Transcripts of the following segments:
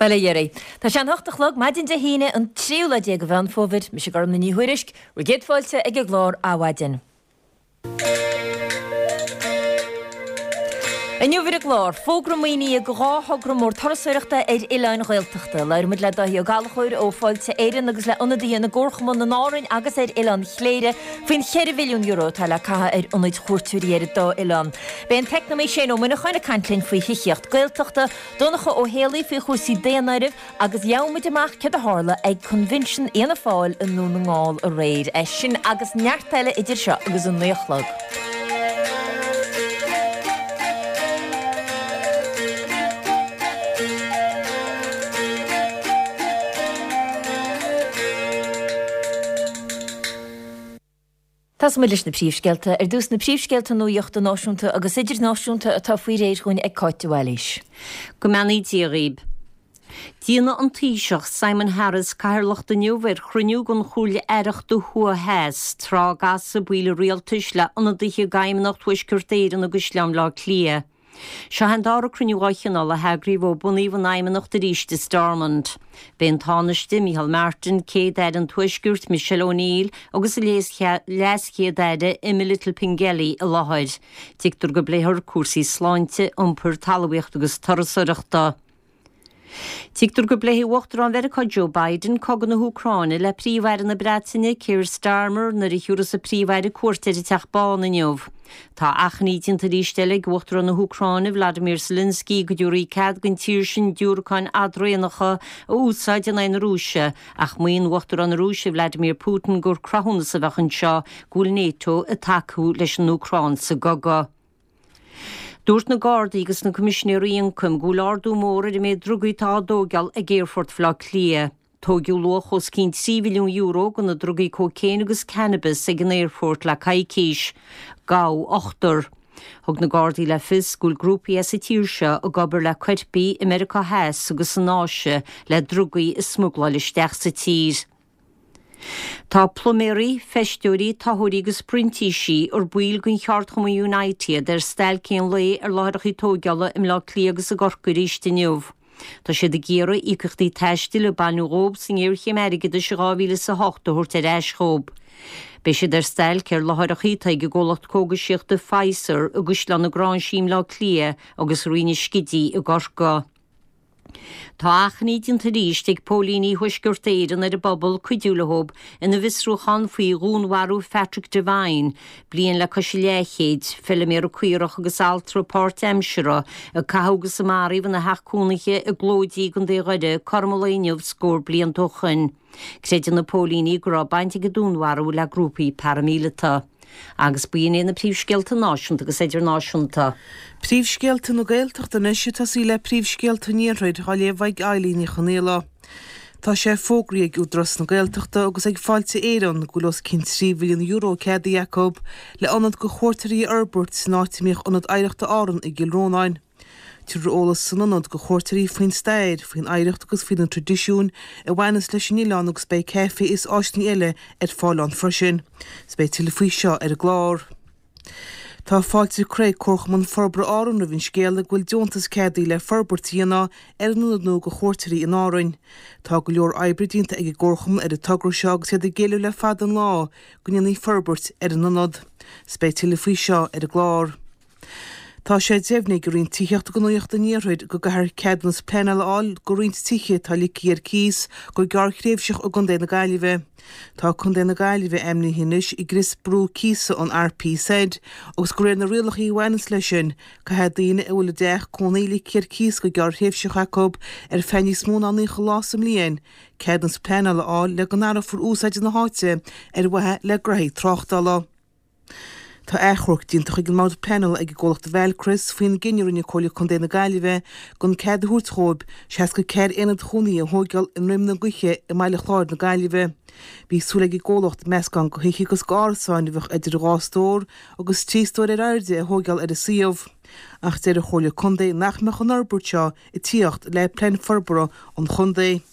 Bail ó Dhia oraibh. Tá sé an hocht a chlog, maidin Dé hAoine, an tríú lá déag de Mheán Fómhair. Mise Gormlaith Ní Thuairisg, bhur gcéad fáilte ag an gclár Adhmhaidin. Inniu ar an gclár, fógra maoinithe do dhá thogra mór turasóireachta ar oileáin Ghaeltachta. Labhróidh muid le Dáithí Ó Gallchóir ó Fáilte Éireann agus le ionadaithe na gcomharchumann in Árainn agus ar Oileán Chléire faoin €4 mhilliún atá le caitheamh ar ionaid chuairteoirí ar an dá oileán. Beidh an t-eacnamaí Shane Ó Muineacháin ag caint linn faoi thithíocht Gaeltachta, Donncha Ó Héalaí faoi chúrsaí daonáirimh agus gheobhaidh muid amach céard a tharla ag Coinbhinsean Fhianna Fáil i nDún na nGall aréir. É sin agus neart eile idir seo agus a 9 a chlog. Tosóidh muid leis na príomhscéalta. Ar dtús na príomhscéalta nuachta náisiúnta agus idirnáisiúnta atá faoi réir dhúinn ag Cáit de Bhailís. Go mbeannaí Dia dhaoib. Déanfaidh an Taoiseach Simon Harris cathaoirleacht inniu ar chruinniú den Chomhairle Aireachta Thuaidh Theas, tráth a gcasfaidh baill an rialtais le ionadaithe d'Fheidhmeannacht Thuaisceart Éireann i gCaisleán Bhaile Átha Cliath. Seo é an dara cruinniú dá chineál a heagraíodh ó bunaíodh an Fheidhmeannacht arís i Stormont. Beidh an Tánaiste, Micheál Martin, Céad-Aire an Tuaiscirt, Michelle O'Neill agus a LeasChéad-Aire, Emma Little-Pengelly i láthair. Tuigtear go bpléifear cúrsaí sláinte, iompair, talmhaíochta agus turasóireachta. Tuigtear go bpléifidh Uachtarán Mheiriceá Joe Biden cogadh na hÚcráine le Príomh-Aire na Breataine Keir Starmer nuair a thiúrfas an Príomh-Aire cuairt ar an Teach Bán inniu. Tá achainí déanta arís eile ag Uachtarán na hÚcráine Vladimir Zelensky go dtabharfaí cead don tír sin diúracáin fhadraonacha a úsáid in aghaidh na Rúise ach maíonn Uachtarán na Rúise Vladimir Putin gur cruthúnas a bheadh anseo go bhfuil Nato ag tacú leis an Úcráin sa gcogadh. Dúirt na Gardaí agus na Coimisinéirí Ioncaim go bhfuil ardú mór ar an méid drugaí atá á dtóigeáil ag Aerfort Bhaile Átha Cliath. Tóigeadh luach os cionn €3 mhilliún de na drugaí cócaon agus cannabis ag an aerfort le coicís. Gabhadh ochtar. Thug na Gardaí le fios go bhfuil grúpaí as an tír seo ag obair le coirpigh i Meiriceá Theas agus san Áise le drugaí a smugláil isteach sa tír. Tá pluiméirí, feisteoirí, toitheoirí agus printísí, ar baill den cheardchumann United, ar stailc aon lae ar láithreacha tóigeála i mBleá Cliath agus i gCorcaigh arís inniu. Tá siad ag iarraidh íocaíochtaí taistil a baineadh dhóibh sa ngéarchéim airgeadais i 2008 a thabhairt ar ais dhóibh. Beidh siad ar stailc ar láithreacha atá ag an gcomhlacht cógaisíochta Pfizer i gCaisleán na Gráinsí i mBleá Cliath agus i Rinn an Scidígh i gCorcaigh. Tá achainí déanta arís ag póilíní Thuaisceart Éireann ar an bpobal cuidiú leo ina bhfiosrúchán faoi dhúnmharú Phatrick Devine, bliain le cois an leathchéid, feiliméara caorach agus altra páirtaimseartha, a caitheadh agus a maraíodh ina theach cónaithe i gClóidí i gContae Dhoire cothrom an lae inniu scór blianta ó shoin. Creideann na póilíní go raibh baint ag an dúnmharú le grúpaí paraimíleata. Agus b'in iad na príomhscéalta náisiúnta agus idirnáisiúnta. Príomhscéalta na Gaeltachta anois ag tosaí le príomhscéalta an Iarthair á léamh ag Eilín Ní Chonaola. Tá sé fógraithe ag Údarás na Gaeltachta agus ag Fáilte Éireann go bhfuil os cionn €3 mhilliún ceadaithe acu le ionad do chuairteoirí a fhorbairt san áit a mbíodh Ionad Oidhreachta Árann i gCill Rónáin. Tabharfar eolas san ionad do chuairteoirí faoin stair, faoin oidhreacht agus faoi na traidisiúin a bhaineas leis an oileán agus beidh caife is áiseanna eile ar fáil ann freisin. 'S beidh tuilleadh faoi seo ar an gclár. Tá fáilte curtha ag Comharchumann Forbartha Árann roimh an scéala go bhfuil deontas ceadaithe le forbairt a dhéanamh ar an ionad nua do chuairteoirí in Árainn. Tá go leor oibre déanta ag an gComharchumann ar an togra seo agus iad ag éileamh le fada an lá go ndéanfaí forbairt ar an ionad. 'S beidh tuilleadh faoi seo ar an gclár. Tá sé deimhnithe ag an Roinn Tithíochta agus Gnóthaí an Iarthair go gcaithfear ceadúnas pleanála a fháil do roinnt tithe atá ligthe ar cíos go gearrthréimhseach i gContae na Gaillimhe. Tá Contae na Gaillimhe ainmnithe anois i gcrios brú cíosa an RPZ agus de réir na rialacha a bhaineanns leis sin, caithfidh daoine a bhfuil a dteach cónaí ligthe ar cíos go gearrthréimhseach acu ar feadh níos mó ná 90 lá sa mbliain, ceadúnas pleanála a fháil le go n-athrófar úsáid na háite ar mhaithe le graithí tráchtála. Tá achomharc déanta chuig an mBord Pleanála ag an gcomhlacht Valcris faoin gcinneadh a rinne Comhairle Contae na Gaillimhe gan cead a thabhairt dhóibh 64 aonad chónaithe a thóigeáil i nDroim na Gaoithe i mBaile Chláir na Gaillimhe. Bhí súil ag an gcomhlacht meascán de thithe agus d'árasáin a bheadh idir dhá stór agus trí stór ar airde a thóigeáil ar an suíomh. Ach deir an Chomhairle Contae nach mbeadh an fhorbairt seo ag tíocht le Plean Forbartha an Chontae.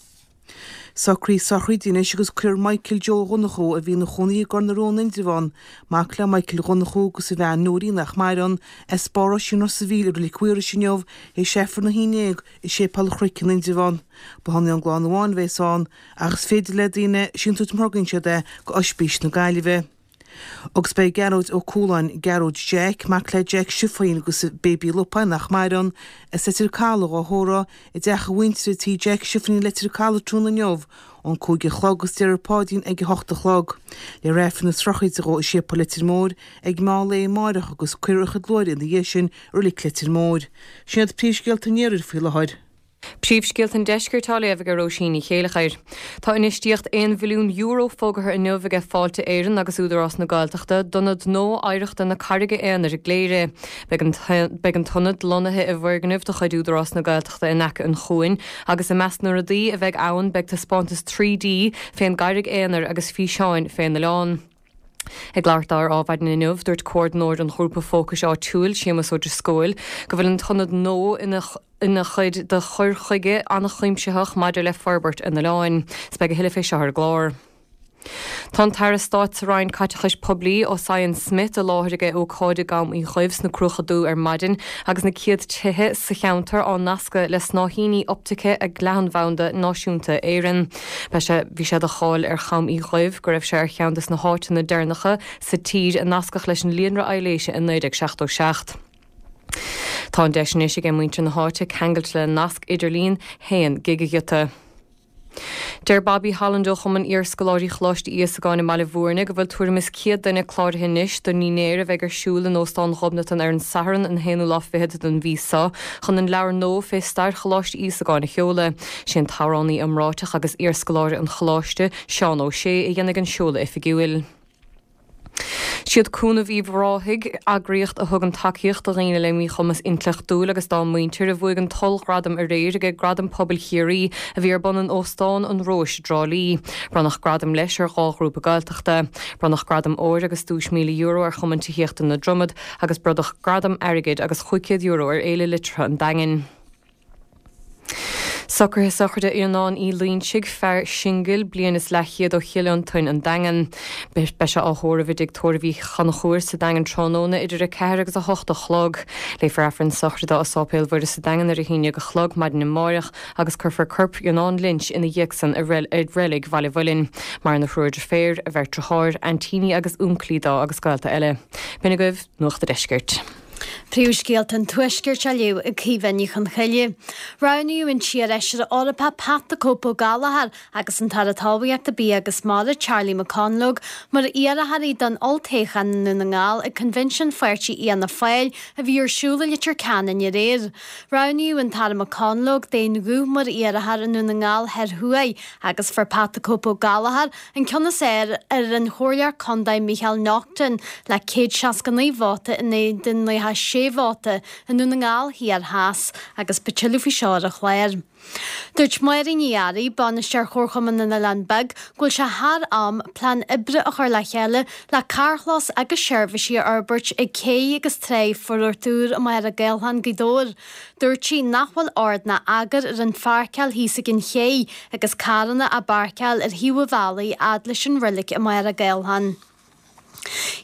Socruithe sochraide anois agus cuirfear Michael Joe Dhonnchú, a bhí ina chónaí i gCor na Rón, Indreabhán, mac le Michael Dhonnchú agus a bhean Nóirín nach maireann, as Barr Oisín Ros a' Mhíl i Reilig Mhaorais inniu, théis Aifreann 11 i Séipéal an Chnoic in Indreabhán. Ba hionann an gclann amháin a bhéas ann, ach is féidir le daoine síntiús má thorgaíonn siad é go Oispís na Gaillimhe. Agus beidh Gearóid Ó Cualáin, Gearóid Jeaic, mac le Jeaic Stiofáin agus Baby Lupáin nach maireann, as Leitir Caladh á thórramh i dteach a mhuintire Tí Jeaic Stiofáin i Leitir Caladh tráthnóna inniu ón 5 a chlog agus déarfar Páidrín ag 8 a chlog. Léifear Aifreann na sochraide dhó i Séipéal Leitir Móir ag meán lae amáireach agus cuirfear a chuid luaithre ina dhiaidh sin i Reilig Leitir Móir. Sin iad príomhscéalta an iarthair faoi láthair. Príomhscéalta an Deiscirt á léamh ag Róisín Ní Chéileachair. Tá infheistíocht €1 bhilliún fógartha inniu aige Fáilte Éireann agus Údarás na Gaeltachta d'ionad nua oidhreachta na Carraige Aonair i gCléire. Beidh an t-ionad lonnaithe i bhfoirgneamh de chuid Údarás na Gaeltachta in aice an chuain agus i measc na rudaí a bheidh ann beidh taispeántas 3D fén gCarraig Aonair agus físeáin fén oileán. Ag labhairt dó ar Adhmhaidin inniu, dúirt comhordnóir an ghrúpa fócais áitiúil, Séamus Ó Drisceoil, go bhfuil an t-ionad nua ina ina chuid de chur chuige an-chuimsitheach maidir le forbairt an oileáin. 'S beidh a thuilleadh fé seo ar an gclár. Tá an tAire Stáit sa Roinn Caiteachais Poiblí, Ossian Smyth, i láthair ag ócáid i gCam Uí Dhuibh sna Cruacha Dubha ar maidin agus na céad tithe sa cheantar á nascadh le snáithíní optaice ag Leathanbhanda Náisiúnta Éireann. Beidh sé, bhí sé de cháil ar Cham Uí Dhuibh go raibh sé ar cheann des na háiteanna deireanacha sa tír a nascadh leis an líonra aibhléise i 1977. Tá an deis anois aige muintir na háite ceangailt le nasc idirlín 1 gigighiota. Deir Bobby Holland ó Chumann Iarscoláirí Choláiste Íosagáin i mBaile Bhúirne go bhfuil tuairim is 100 duine cláraithe anois don ndinnéar a bheidh ar siúl in Óstán Ghobnatan ar an Satharn an haonú lá fichead den mhí seo chun an leabhar nua fé stair Choláiste Íosagáin a sheoladh. Sé an t-amhránaí iomráiteach agus iarscoláire an Choláiste, Seán Ó Sé, a dhéanfaidh an seoladh oifigiúil. Siad Cúnamh Uíbh Ráthaigh, eagraíocht a thugann tacaíocht do dhaoine le míchumas intleachtúil agus dá muintir, a bhuaigh an t-ollghradam aréir ag Gradaim Pobail Chiarraí a bhí ar bun in Óstán an Róis i dTrá Lí. Bronnadh gradaim leis ar dhá ghrúpa Gaeltachta. Bronnadh gradam óir agus duais €1,000 ar Chumann Tithíochta na Dromad agus bronnadh gradam airgid agus €500 ar Fhéile Liteartha an Daingin. Socruithe sochraide Fhionnáin Uí Loinsigh, fear singil, bliain is leathchéad ó Chill Fhionntain, An Daingean. Beidh sé á thórramh i dTigh Tórraimh Uí Chonchúir sa Daingean tráthnóna idir 4 agus 8 a chlog. Léifear Aifreann sochraide dó i Sáipéal Mhuire sa Daingean ar 11 a chlog maidin amáireach agus cuirfear corp Fhionnáin Lynch ina dhiaidh san i Reilig Bhaile Mhuilinn. Maireann a thriúr deirféar, a bheirt driotháir, aintíní agus únclaí dó agus gaolta eile. B'in agaibh Nuacht a' Deiscirt. Príomhscéalta an Tuaiscirt á léamh ag Caoimhe Ní Chonchoille. Roghnaíodh an t-iarfheisire Eorpach Pat 'The Cope' Ó Gallchóir agus an tAire Talmhaíochta, Bia agus Mara, Charlie McConalogue, mar iarrthóirí don olltoghchán i nDún na nGall ag Coinbhinsiún Pháirtí Fhianna Fáil a bhí ar siúl i Leitir Ceanainn aréir. Roghnaíodh an tAire McConalogue d'aon ghuth mar iarrthóir i nDún na nGall Thoir Thuaidh agus fuair Pat 'The Cope' Ó Gallchóir An ceann is fearr ar an Chomhairleoir Contae Micheál Naughton le 169 vóta in éadan 96 vóta i nDún na nGall Thiar Theas agus beidh tuilleadh faoi seo ar an chlár. Dúirt Máirín Ní Fhearraigh, Bainisteoir Chomharchumann na nOileán Beag, go bhfuil sé thar am plean oibre a chur le chéile le carrchlós agus seirbhísí a fhorbairt ag cé agus tráigh Phort Úr i Machaire Gathlán, Gaoth Dobhair. Dúirt sí nach bhfuil ord ná eagar ar an pháirceáil thíos ag an ché agus carranna á bpáirceáil ar thaobh an bhealaigh fhad leis an roilig i Machaire Gathlán.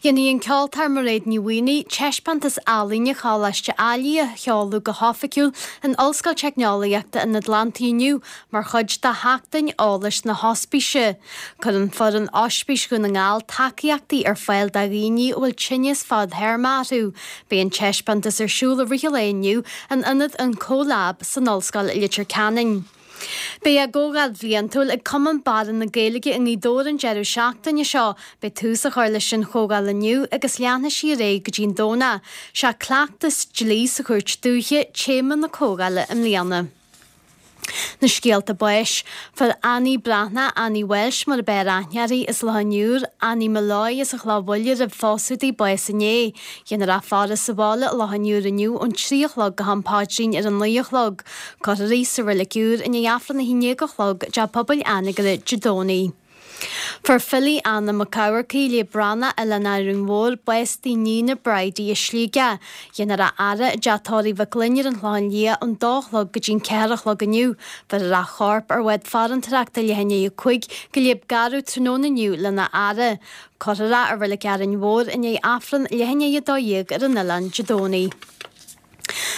Dhéanfaidh an ceoltóir Mairéad Ní Mhaonaigh taispeántas ealaíne Choláiste Ailigh a sheoladh go hoifigiúil in Ollscoil Teicneolaíochta an Atlantaigh inniu mar chuid de Sheachtain Eolais na hOspíse. Cuireann foireann Ospís Dhún na nGall tacaíochtaí ar fáil do dhaoine a bhfuil tinneas fadthéarmach orthu. Beidh an taispeántas ar siúl i rith an lae inniu in ionad an CoLab san Ollscoil i Leitir Ceanainn. Beidh a gcomhdháil bhliantúil ag Cumann Barra na Gaeilge i nGaoth Dobhair an deireadh seachtaine seo. Beidh tús á chur leis an chomhdháil inniu agus leanfaidh sí ar aghaidh go dtí an Domhnach. Sé cleachtas dlí sa Chúirt Dúiche téama na comhdhála i mbliana. Na scéalta báis. Fuair Annie Breathnach, Annie Walsh mar ab fhearr aithne uirthi, as Loch an Iúir, Annie Molloy as an Chloch Bhaile roimh phósadh di, bás inné. Dhéanfar í a faire sa bhaile i Loch an Iúir inniu ón 3 a chlog go ham paidrín ar a 9 a chlog. Cuirfear í sa Reilig Úr i ndiaidh Aifreann a 11 a chlog i dTeach Pobail Anagaire Dé Domhnaigh. Fuair Philly Anna Mac Eamharcaigh, Liadh Breathnach, Oileán Árainn Mhór, bás dá níon Bridie i Sligeach. Dhéanfar a fhaire i dteach tórraimh Mhic Fhloinn ar an Chlochán Liath ón dó a chlog go dtí'n ceathair a chlog inniu. Bheirfear a chorp ar bhád farantóireachta leath i ndiaidh a 5 go Léib Garbh tráthnóna inniu lena fhaire. Cuirfear é i Reilig Árainn Mhór i ndiaidh Aifreann leath i ndiaidh 12 ar an oileán Dé Domhnaigh.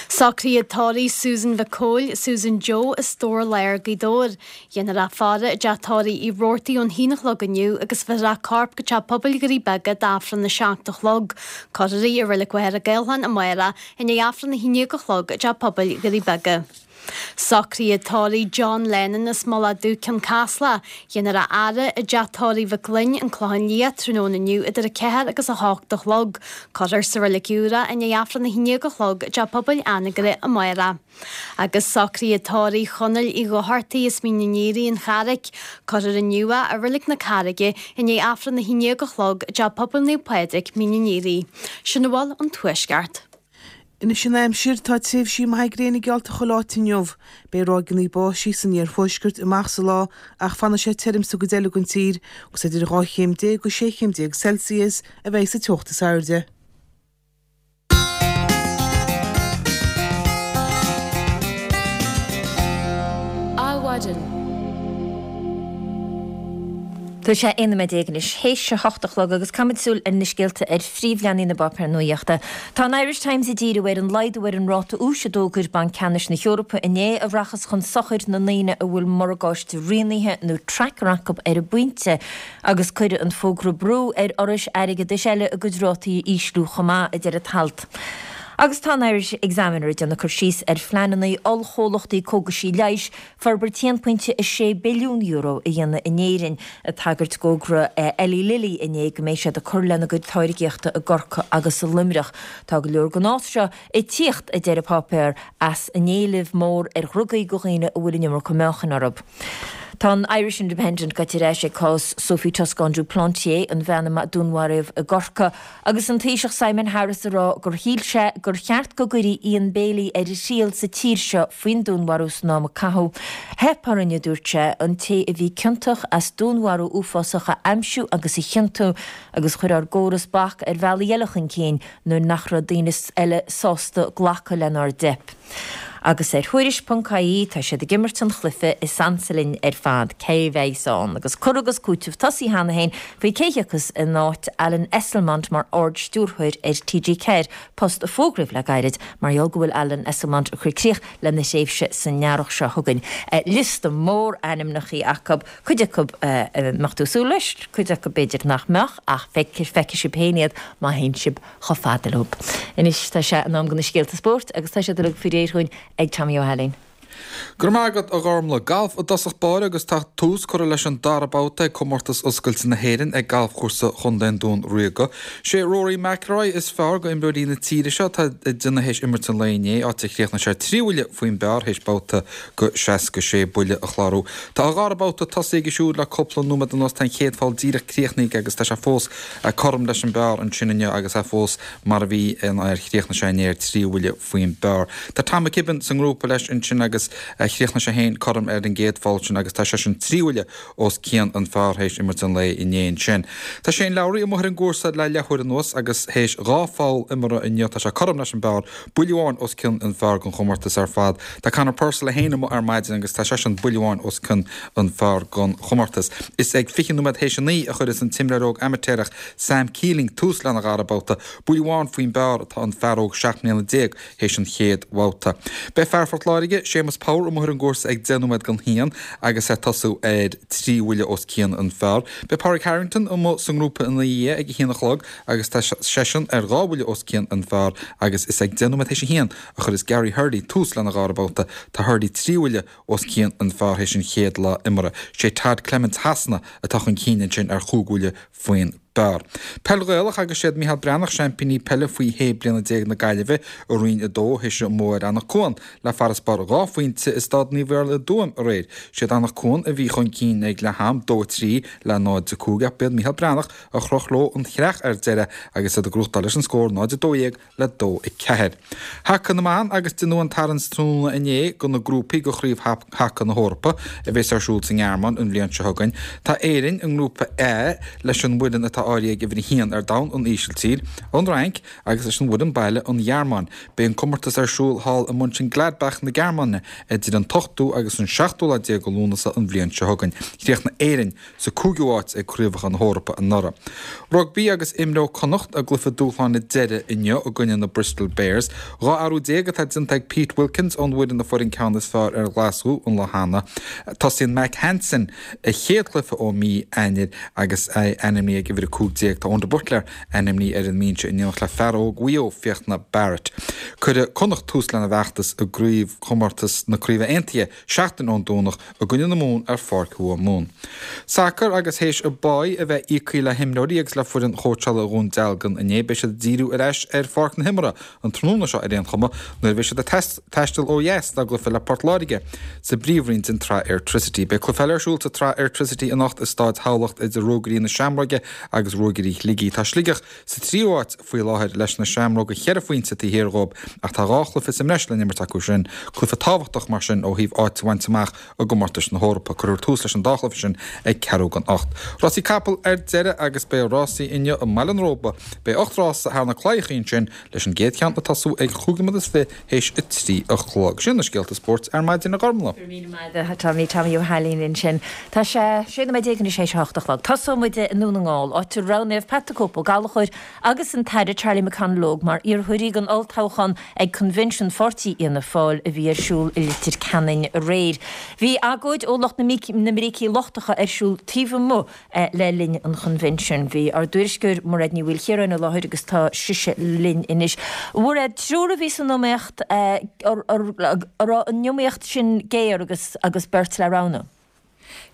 Socruithe tórraimh Susan Mhic Cóil, Susan Joe, as Dobhar Láir, Gaoth Dobhair. Dhéanfar a faire i dteach tórraimh Uí Robhartaigh ón haon a chlog inniu agus bheirfear a corp go teach pobail Dhoirí Beaga d'Aifreann a seacht a chlog. Cuirfear í i Reilig Mhachaire Gathlán amárach i ndiaidh Aifreann a haon déag a chlog i dteach pobail Dhoirí Beaga. Socruithe tórraimh John Lennon as Mullach Dubh, Cionn Caslach. Dhéanfar a fhaire i dteach tórraimh Mhic Fhloinn, An Clochán Liath, tráthnóna inniu idir 4 agus 8 a chlog. Cuirfear sa Reilig Úr é i ndiaidh Aifreann 11 a chlog i dTeach Pobail Anagaire amárach. Agus socruithe tórraimh Chonaill Uí Dhochartaigh as Mín an Fhíoraigh, An Charraic. Cuirfear inniu é i Reilig na Carraige i ndiaidh Aifreann 11 a chlog i dTeach Pobail Naomh Pádraig, Mín an Fhíoraigh. Sin a bhfuil ón Tuaisceart. Anois an aimsir, tá tréimhsí maithe gréine geallta chuile áit inniu. Beidh ráigeanna báistí san iarthuaisceart amach sa lá ach fanfaidh sé tirim sa gcuid eile den tír agus idir 12 chéim go 16 chéim Celsius a bheidh sa teocht is airde. Adhmhaidin. Tá sé 11 nóiméad anois théis a hocht a chlog agus caithfimid súil ar na scéalta ar phríomhleathanaigh na bpáipéar nuaíochta. Tá an Irish Times ag díriú ar an laghdú ar an ráta úis a d'fhógair Banc Ceannais na hEorpa inné a rachas chun sochair na ndaoine a bhfuil morgáiste rianaithe nó tracker acu ar an bpointe agus cuirfidh an fógra brú ar fhorais airgeadais eile a gcuid rátaí a ísliú chomh maith, a deir an t-alt. Agus tá an Irish Examiner ag déanamh cur síos ar phleananna ollchomhlachtaí cógaisí leighis forbairt €1.6 billiún a dhéanamh in Éirinn, ag tagairt d'fhógra Eli Lilly inné go mbeidh siad ag cur lena gcuid táirgíochta i gCorcaigh agus i Luimneach. Tá go leor den fhás seo ag tíocht, a deir an páipéar, as an éileamh mór ar dhrugaí do dhaoine a bhfuil an iomarca meáchain orthu. Tá an Irish Independent gaibhte ar ais ag cás Sophie Toscan du Plantier, an bhean a dúnmharaíodh i gCorcaigh, Agus an Taoiseach Simon Harris ag rá gur shíl sé gur cheart go gcuirfí Ian Bailey ar a thriail sa tír seo faoin dúnmharú san am a caitheadh. Theip orainn, a dúirt sé, an té a bhí ciontach as dúnmharú uafásach a aimsiú agus a chiontú agus chuir ár gcóras bac ar bhealaí eile chun cinn nuair nach raibh daoine eile sásta glacadh lenár dteip. Agus ar Thuairisc ponc ie tá siad ag imirt an chluiche is ansa linn ar fad, cé bheas ann? Agus cur agus cúiteamh tosaithe cheana féin faoi cé thiocfas in áit Alan Esslemont mar Ard-Stiúrthóir ar TG4, post a fógraíodh le gairid mar gheall go bhfuil Alan Esslemont ag cur críoch lena thréimhse san earrach seo chugainn. Liosta mór ainmneachaí acu, cuid acu a mbeadh tú ag súil leis, cuid acu b'fhéidir nach mbeadh, ach feicfidh sibh féin iad má théann sibh chomh fada leo. Anois tá sé in am do na scéalta spóirt agus tá siad uilig faoi réir dhúinn ag Tommy Ó hAilín. Go raibh maith agat, a Ghormlaith. Galf i dtosach báire agus tá tús curtha leis an dara babhta ag Comórtas Oscailte na hÉireann ag Galfchúrsa Chontae an Dúin Ríoga. Sé Rory McIlroy is fearr go imreoirí na tíre seo atá ag déanamh théis imirt an lae inné, áit a chríochnaigh sé 3 bhuille faoin bpar théis babhta go 66 buille a chlárú. Tá a dhara babhta tosaithe aige siúd le cúpla nóiméad anuas. Tá an chéad pholl díreach críochnaithe aige agus tá sé fós cothrom leis an bpar ansin inniu agus é fós mar a bhí nuair a chríochnaigh sé inné ar 3 bhuille faoin bpar. Tá Tom McKibbin sa ngrúpa leis ansin agus chríochnaigh sé féin cothrom ar an gcéad pholl sin agus tá seisean 3 bhuille os cionn an phar théis imirt an lae inné ansin. Tá Shane Lowry amuigh ar an gcúrsa le leathuair anuas agus théis 2 pholl imeartha inniu tá sé cothrom leis an bpar, buille amháin os cionn an phar don chomórtas ar fad. Tá Conor Purcell é féin amuigh ar maidin agus tá seisean buille amháin os cionn an phar don chomórtas. Is ag 20 nóiméad théis a 9 a chuireas an t-imreoir óg amaitéarach Sam Keeling tús lena dhara babhta. Buille amháin faoin bpar atá an fear óg 17 mbliana théis an chéad bhabhta. Beidh fear Phort Láirge, Séamus Power amuigh ar an gcúrsa ag 10 nóiméad don haon agus é ag tosú ar 3 bhuille os cionn an phar. Beidh Pádraig Harrington amuigh sa ngrúpa ina dhiaidh ag a haon a chlog agus tá seisean ar 2 bhuille os cionn an phar agus is ag 10 nóiméad théis a haon a chuireas Gary Hurley tús lena dhara babhta. Tá Hurley 3 bhuille os cionn an phar théis an chéad lá imeartha. Sé Todd Clements Shasana atá chun cinn ansin ar chúig bhuille faoin bpar. b'fhearr. Peil Ghaelach agus siad Micheál Breathnach seaimpíní peile faoi 16 bliana na Gaillimhe i Roinn 2 théis a mbua ar Anach Cuain le farasbarr 2 phointe i Staid Naomh Iarlaith i dTuaim aréir. Siad Anach Cuain a bhí chun cinn ag leath am, 2 3 le 0 5 ach b'iad Micheál Breathnach a chroch leo an chreach ar deireadh agus iad ag gnóthachtáil leis an scór 0 12 le 2 4. Haca na mBan agus deineadh an tarraingt tráthnóna inné do na grúpaí do Chraobh Haca na hEorpa a bheas ar siúl sa nGearmáin an bhliain seo chugainn. Tá Éirinn i ngrúpa A leis an bhfoireann atá áirithe ag uimhir 1 ar domhan, an Ísiltír, an Fhrainc agus leis an bhfoireann baile, an Ghearmáin. Beidh an comórtas ar siúl thall i Mönchengladbach na Gearmáine idir an t-ochtú agus an seachtú lá déag de Lúnasa an bhliain seo chugainn. Chríochnaigh Éirinn sa cúigiú háit ag Craobhacha na hEorpa anuraidh. Rugbaí agus imreoidh Connacht a gcluiche dúshláin deiridh inniu i gcoinne na Bristol Bears. 12 athrú atá déanta ag Pete Wilkins ón bhfoireann a fuair an ceann is fearr ar Ghlaschú an lá cheana. Tosaíonn Mack Hansen a chéad chluiche ó mí Eanáir agus é ainmnithe ag uimhir 15. Tá Eoin de Buitléar ainmnithe ar an mbinse in éineacht le fear óg Mhaigh Eo, Fiachna Barrett. Cuirfidh Connacht tús lena bhfeachtas i gcraobhchomórtas na Craoibhe Aontaithe seachtain ón Domhnach i gcoinne na Mumhan ar Pháirc Thuath Mumhan. Sacar agus théis a bpáí a bheith íoctha le himreoirí agus le foireann chóitseála Dhún Dealgan inné, beidh siad ag díriú ar ais ar pháirc na himeartha an tráthnóna seo ar aon chuma nuair a bheidh siad ag taisteal ó dheas dá gcluiche le Port Láirge sa bpríomhroinn den tSraith Airtricity. Beidh cluiche eile ar siúl sa tSraith Airtricity anocht i Stáid Thamhlacht idir Ruagairí na Seamróige agus Ruagairí Shligigh. Tá Sligeach sa tríú háit faoi láthair leis na Seamróga cheithre phointe taobh thiar dhóibh ach tá 2 chluiche sa mbreis le n-imirt acu sin, cluiche tábhachtach mar sin ó thaobh áit a bhaint amach i gcomórtais na hEorpa. Cuirfear tús leis an dá chluiche sin ag ceathrú don 8. Rásaí capall ar deireadh agus beidh rásaí inniu i mBaile an Róba. Beidh 8 rása thar na claíochaí ansin leis an gcéad cheann ag tosú ag chúig nóiméad is fiche théis a 3 a chlog. Sin na scéalta spóirt ar maidin a Ghormlaith. Go raibh míle maith agat a Tommy, Tommy Ó hAilín ansin. Tá sé 16 nóiméad anois théis a hocht a chlog. Tosóidh muid i nDún na nGall, áit a roghnaíodh Pat the Cope Ó Gallchóir agus an tAire Charlie McConalogue mar iarrthóirí don olltoghchán ag Convention Pháirtí Fhianna Fáil a bhí ar siúl i Leitir Ceanainn aréir. Bhí agóid ó lucht na mbrící lochtacha ar siúl taobh amuigh le linn an Chonvention. Bhí ár dtuairisceoir Mairéad Ní Mhaoilchiaráin i láthair agus tá sise linn anois. A Mhairéad, triúr a bhí san iomaíocht, an raibh an iomaíocht sin géar agus agus beirt le roghnú?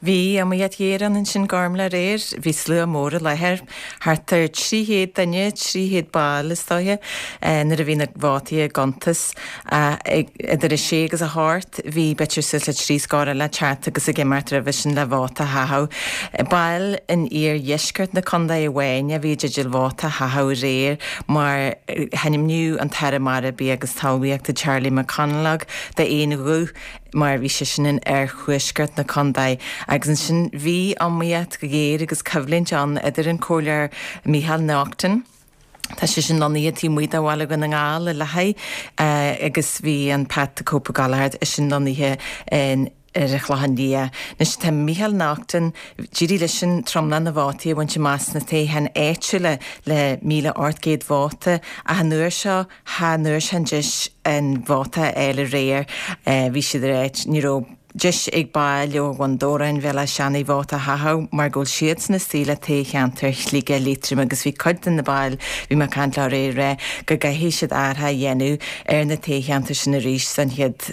Bhí iomaíocht ghéar ann ansin Gormlaith aréir. Bhí slua mór i láthair, thart ar 300 duine, 300 ball is dóiche, nuair a bhí na vótaí á gcuntas. Idir a sé agus a hocht bhí b'fhéidir suas le trí scór eile ag teacht agus ag imeacht roimhe sin le vóta a chaitheamh. Baill in iardheisceart na contae amháin a bhí i dteideal vóta a chaitheamh aréir mar hainmníodh an tAire Mara, Bia agus Talmhaíochta Charlie McConalogue d'aon ghuth mar bhí seisean in oirthuaisceart na contae agus ansin bhí iomaíocht ghéar agus coimhlint ann idir an Comhairleoir Micheál Naughton, Tá sé sin lonnaithe taobh amuigh de bhaile Dhún na nGall i Louth agus bhí an Pat the Cope Ó Gallchóir, eisean lonnaithe in ar an Chlochán Liath. Anois tá Micheál Naughton, d'éirigh leisean tromlach na vótaí a bhaint amach sna toghcháin áitiúla le 1,800 vóta ach an uair seo cha bhfuair sé an deis an vóta a fháil aréir. Bhí siad ar áit, ní raibh. deis ag baill ó Bhun Dobhráin, Bhéal Átha Seanaidh vóta a chaitheamh mar go bhfuil siadsan istigh le toghcheantar Shligigh Liatroim agus bhí cuid de na baill, bhí mé ag caint leo aréir, ag rá go gcaithfidh siad athrach a dhéanamh ar na toghcheantair sin arís don chéad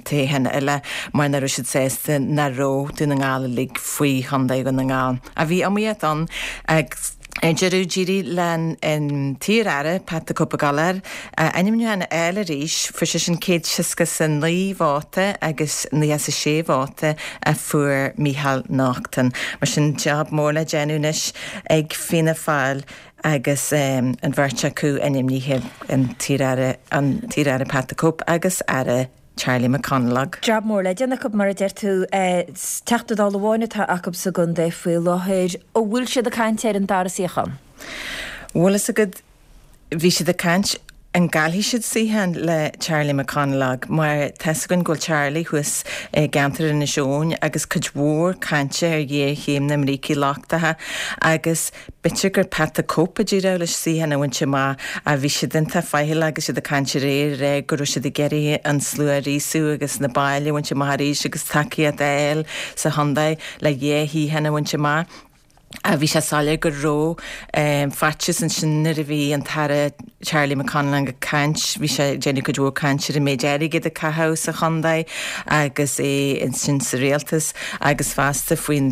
toghchán eile mar nach raibh siad sásta nach raibh Dún na nGall uilig faoi Chontae Dhún na nGall. Ach bhí iomaíocht ann agus. Ar deireadh, d'éirigh le an t-iar-aire, Pat the Cope Ó Gallchóir, ainmniúchán a fháil arís. Fuair seisean 169 vóta agus 96 vóta a fuair Micheál Naughton. Mar sin, jab mór le déanamh anois ag Fianna Fáil agus an bheirt acu ainmnithe, an t-iar-aire Pat the Cope agus Aire Charlie McConalogue. Jab mór le déanamh acu, mar a deir tú. Teachta Dála amháin atá acu sa gcontae faoi láthair. An bhfuil siad ag caint ar an dara suíochán? Bhfuil fhios agat, bhí siad ag caint an gcaillfidh siad suíochán le Charlie McConalogue mar tá fhios againn go bhfuil Charlie thuas i gceantar Inis Eoghain agus cuid mhór cainte ar ghéarchéim na mbrící lochtacha agus B'fhéidir gur Pat the Cope a d'éireodh leis suíochán a bhaint amach ach bhí siad iontach faichilleach agus iad ag caint aréir ag rá go raibh siad ag iarraidh an slua a ghríosú agus na baill a bhaint amach arís agus tacaíocht a fháil sa chontae le dhá shuíochán a bhaint amach. Bhí sé soiléir go raibh faitíos ansin nuair a bhí an tAire Charlie McConalogue ag caint. Bhí sé ag déanamh cuid mhór caint ar an méid airgid a caitheadh sa chontae agus é ansin sa rialtas agus fosta faoin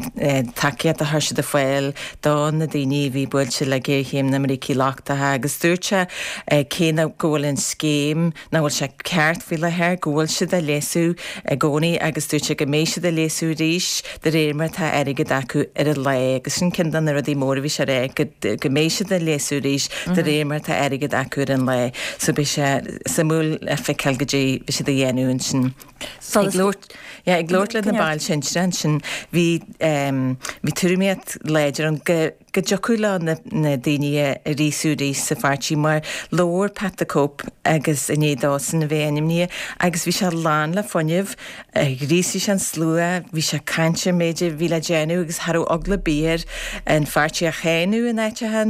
tacaíocht a chuir siad ar fáil do na daoine a bhí buailte le géarchéim na mbrící lochtacha agus dúirt sé cé go bhfuil an scéim nach bhfuil sé ceart faoi láthair, go bhfuil siad á léasú i gcónaí agus dúirt sé go mbeidh siad á léasú arís de réir mar atá airgead acu ar an lá agus sin ceann de na rudaí móra a bhí sé a rá, go go mbeidh siad á léasú arís de réir mar atá airgead acu ar an lá. So beidh sé suimiúil le feiceáil goidé a bheidh siad a dhéanamh ansin. Ag labhairt yeah ag labhairt le na baill sinsearacha ansin bhí bhí tuairimíocht láidir ann go go dtiocfadh leo na daoine a ghríosú arís sa pháirtí mar labhair Pat the Cope agus i ndiaidh dósan a bheith ainmnithe agus bhí sé lán le fuinneamh, ghríosaigh sé an slua, bhí sé ag caint ar an méid a bhí le déanamh agus cha raibh eagla ar bith air an pháirtí a cháineadh in áiteacha,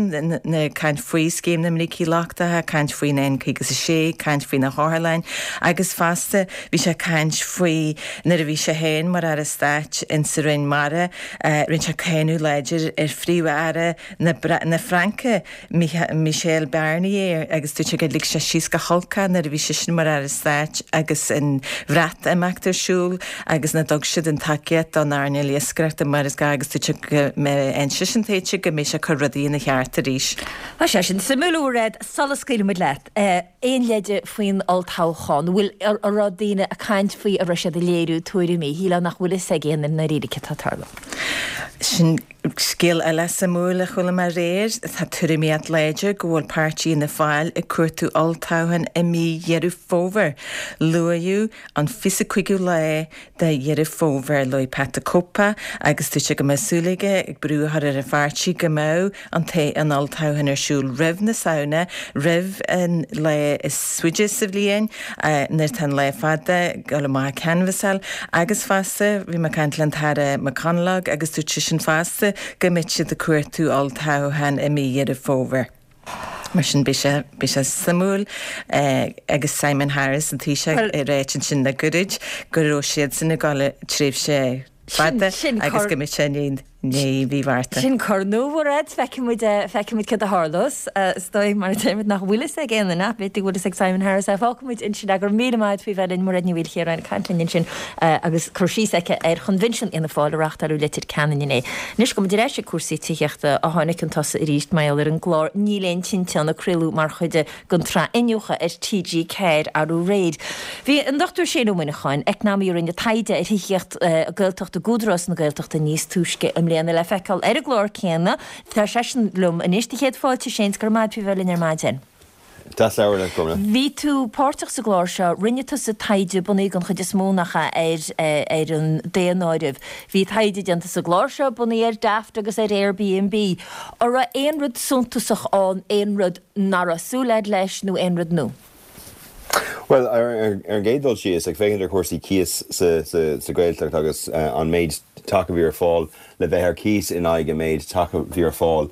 ag caint faoi scéim na mbrící lochtacha, caint faoin N56, caint faoi na hotharlanna agus fosta bhí sé ag caint faoi nuair a bhí sé féin mar Aire Stáit insa Roinn Mara, Rinne sé cáineadh láidir ar Phríomh-Aire na Fraince, Michel Barnier, agus dúirt sé gur lig sé síos go holc é nuair a bhí seisean mar Aire Stáit agus an Bhreatimeacht ar siúl agus nach dtug siad an tacaíocht don earnáil iascaireachta mar is gá agus dúirt sé go mbeidh seisean tuillte go mbeidh sé ag cur rudaí ina cheart arís. Tá sé sin suimiúil, a Mhairéad. Sula scaoilfimid leat, Aon leide faoin olltoghchán? An bhfuil, an raibh daoine ag caint faoi, an raibh siad ag léiriú tuairimí? Shílfeá nach bhfuil fhios ag aon duine i ndáiríre céard atá ag tarlú. Sin scéal eile suimiúil a chuala mé aréir. Tá tuairimíocht láidir go bhfuil páirtí Fhianna Fáil ag cuartú olltoghchán i mí Dheireadh Fómhair. Luaíodh an 25ú lá de Dheireadh Fómhair. Luaigh Pat the Cope agus dúirt sé go mbeadh súil aige ag brú a chur ar an pháirtí go mbeadh an an olltoghchán ar siúl roimh na Samhna, roimh an lá is faide sa bhliain, nuair atá an lá fada, ag dul amach ag canbhasáil. Agus fosta, bhí mé ag caint le an tAire McConalogue agus dúirt seisean fosta go mbeidh siad ag cuartú olltoghchán i mí Dheireadh Fómhair. Mar sin beidh sé, beidh sé suimiúil agus Simon Harris, an Taoiseach, ag ráit ansin le gairid go raibh siadsan ag dul tréimhse fada agus go mbeidh sé i ndiaidh mhí Mhárta. Sin cor nua, a Mhairéad. Feicfidh muid, feicfidh muid céard a tharlós. Is dóigh, mar a deirimid, nach bhfuil fhios ag aon duine, ach b'fhéidir go bhfuil fhios ag Simon Harris é. Fágfaidh muid ansin é. Go raibh míle maith agat faoi bheith linn, Mairéad Ní Mhaoilchiaráin, ag caint linn ansin agus cur síos aici ar Choinbhinsiún Fhianna Fáil a reáchtáladh i Leitir Ceanainn inné. Anois, gabhfaidh muid ar ais ag cúrsaí tithíochta a tháinig chun tosaigh arís mar gheall ar an gclár Níl Aon Tinte Ann a craoladh mar chuid den tsraith Iniúchadh ar TG4 arú aréir. Bhí an Dr Shane Ó Muineacháin, eacnamaí a rinne taighde ar thithíocht Gaeltachta d'Údarás na Gaeltachta níos túisce i mbliana le feiceáil ar an gclár céanna. Tá seisean liom anois. Do chéad fáilte, a Shane, 's go raibh maith agat faoi bheith linn ar maidin. Deas labhairt leat, Gormlaith. Bhí tú páirteach sa gclár seo, rinne tusa taighde bunaithe den chuid is mó, nach ea, ar ar an daonáireamh. Bhí taighde déanta sa gclár seo bunaithe ar Daft agus ar Airbnb. An raibh aon rud suntasach ann, aon rud nach raibh súil agat leis nó aon rud nua? Bhuel, ar an gcéad dul síos, ag féachaint ar chúrsaí cíos sa Ghaeltacht agus an méid teach a bhí ar fáil le bheith ar cíos in aghaidh an méid teach a bhí ar fáil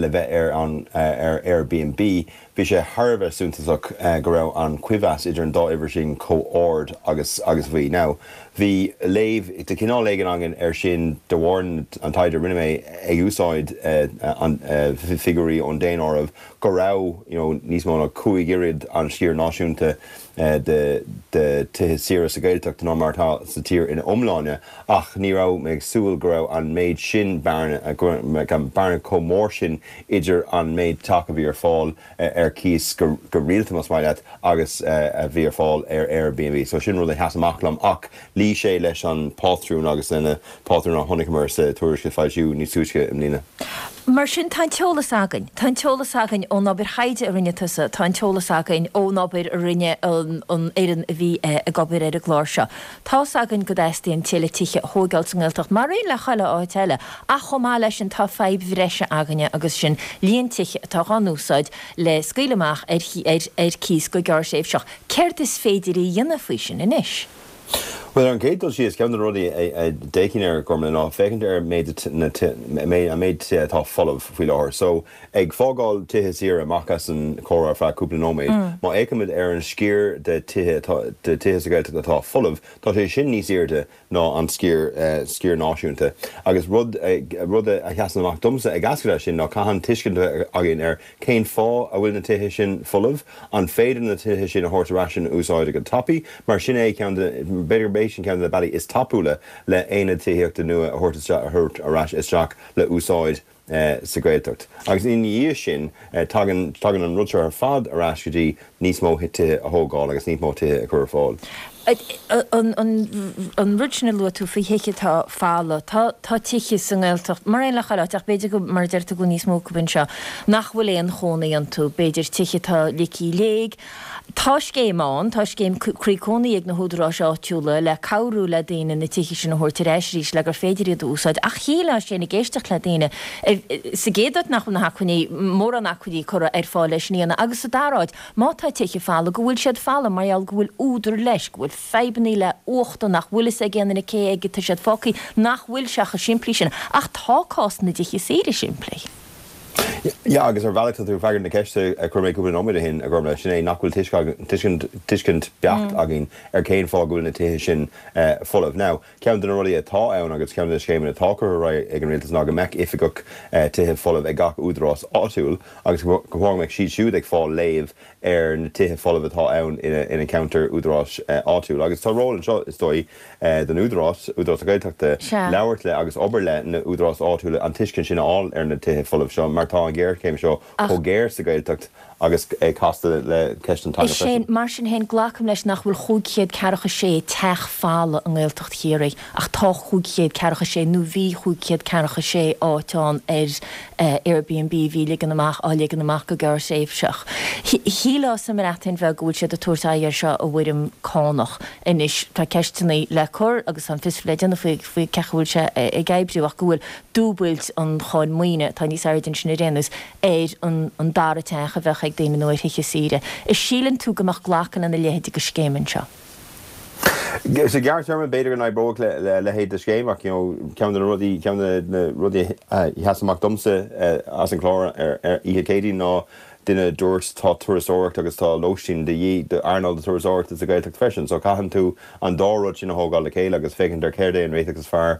le bheith ar an ar Airbnb, bhí sé thar a bheith suntasach go raibh an coibhneas idir an dá uimhir sin chomh ard agus agus a bhí. Now, bhí léamh de chineál éigin againn air sin de bharr an taighde a rinne mé ag úsáid an figiúirí ón daonáireamh go raibh you know níos mó ná 5 oiread an sciar náisiúnta de de tithe saora sa Ghaeltacht ná mar atá sa tír ina iomláine. Ach ní raibh mé ag súil go raibh an méid sin bearna, go raibh bearna chomh mór sin idir an méid teach a bhí ar fáil ar cíos go rialta, más maith leat, agus a bhí ar fáil ar Airbnb. So sin rud a sheas amach liom. Ach luigh sé leis an bpátrún agus lena pátrún a chonaiceamar sa tuairisc a foilsíodh níos túisce i mbliana. Mar sin, tá an t-eolas againn. Tá an t-eolas againn ón obair thaighde a rinne tusa, tá an t-eolas againn ón obair a rinne an fhoireann a bhí ag obair ar an gclár seo. Tá's againn go dteastaíonn tuilleadh tithe a thóigeáil sa nGaeltacht, mar aon le chuile áit eile, ach chomh maith leis sin tá fadhb bhreise againne agus sin líon tithe atá dhá n-úsáid le scaoileadh amach ar ar cíos go gearrthréimhseach. Céard is féidir a dhéanamh faoi sin anois? Bhuel, ar an gcéad dul síos, ceann de na rudaí a d'fhéachfainn air, Gormlaith, ná féachaint ar méid na an méid tithe atá folamh faoi láthair. So, ag fágáil tithe saoire amach as an chomhrá ar feadh cúpla nóiméad, má fhéachaimid ar an sciar de tithe atá de tithe sa Ghaeltacht atá folamh, tá sé sin níos airde ná an sciar sciar náisiúnta. Agus rud rud a sheasann amach domsa ag eascairt as sin ná caitheann tuiscint a bheith againn ar Cén fáth a bhfuil na tithe sin folamh? An féidir na tithe sin a thabhairt ar ais in úsáid go tapaidh? Mar sin é ceann de, b'fhéidir gurb é sin ceann de na bealaí is tapúla le aonad tithíochta nua a thabhairt isteach, a thabhairt ar ais isteach le úsáid sa Ghaeltacht. Agus ina dhiaidh sin, tagann, tagann an rud seo ar fad ar ais go dtí níos mó tithe a thógáil agus níos mó tithe a chur ar fáil. An rud sin a luaigh tú faoi thithe atá folamh, tá tá tithe sa nGaeltacht, mar aon le chuile áit, ach b'fhéidir go, mar a deir tú, go bhfuil níos mó acu anseo, nach bhfuil aon chónaí iontu, b'fhéidir tithe atá ligthe i léig. Tá scéim ann, tá scéim Croí Cónaí ag na húdaráis áitiúla le cabhrú le daoine na tithe sin a thabhairt ar ais arís le gur féidir iad a úsáid ach shílfeá sin ag éisteacht le daoine sa gcéad áit nach bhfuil na hacmhainní, mórán acmhainní curtha ar fáil leis sin a dhéanamh agus sa dara háit, Má tá tithe folamh, go bhfuil siad folamh mar gheall go bhfuil údar leis, go bhfuil fadhbannaí le huachta nach bhfuil fhios ag aon duine cé aige tá siad fágtha, nach bhfuil sé chomh simplí sin. Ach tá cás na dtithe saoire simplí. Yeah, agus ar bhealach tá tú ag freagairt na ceiste a chuir mé cúpla nóiméad ó shin, a Ghormlaith, sin é nach bhfuil tuiscint, tuiscint beacht againn ar cén fáth go bhfuil na tithe sin folamh. Now, Ceann de na rudaí atá ann agus ceann de na scéimeanna atá curtha ar aghaidh ag an Rialtas ná go mbeadh oifigeach tithe folamh ag gach údarás áitiúil agus go mbeadh siad siúd ag fáil léamh ar na tithe folamh atá ann ina gceantar údaráis áitiúil. Agus tá ról anseo, is dóigh, don Údarás, Údarás na Gaeltachta, labhairt le agus obair le na údaráis áitiúla an tuiscint sin a fháil ar na tithe folamh seo mar tá an ghéarchéim seo chomh géar sa Ghaeltacht agus é casta le ceist an teanga freisin. Mar sin féin, glacaim leis nach bhfuil 546 teach folamh i nGaeltacht Chiarraí, ach tá 546, nó bhí 546 áit ann ar Airbnb a bhí ligean amach, á ligean amach go gearrthréimhseach. Shílfeá sa mBreatain Bheag go bhfuil siad ag tabhairt aghaidh air seo i bhfoirm cánach. Anois, tá ceisteanna le cur agus tá an fiosrú le déanamh faoi faoi cén chaoi a bhfuil sé ag oibriú ach go bhfuil dúbailt an cháin maoine, atá níos airde ansin ar aon nós, ar an dara teach a bheadh ag daoine nó ar thithe saoire. An síleann tú go mbeadh glacadh lena leithéid de scéim anseo? Sa ghearrthéarma, b'fhéidir go n-oibreodh le leithéid de scéim ach you know ceann de na rudaí, ceann de na rudaí a sheas amach domsa as an chlár ar oíche Chéadaoin ná duine a dúirt tá turasóireacht agus tá lóistín de dhíth d'earnáil na turasóireachta sa Ghaeltacht freisin so caitheann tú an dá rud sin a thógáil le chéile agus féachaint ar céard é an réiteach is fearr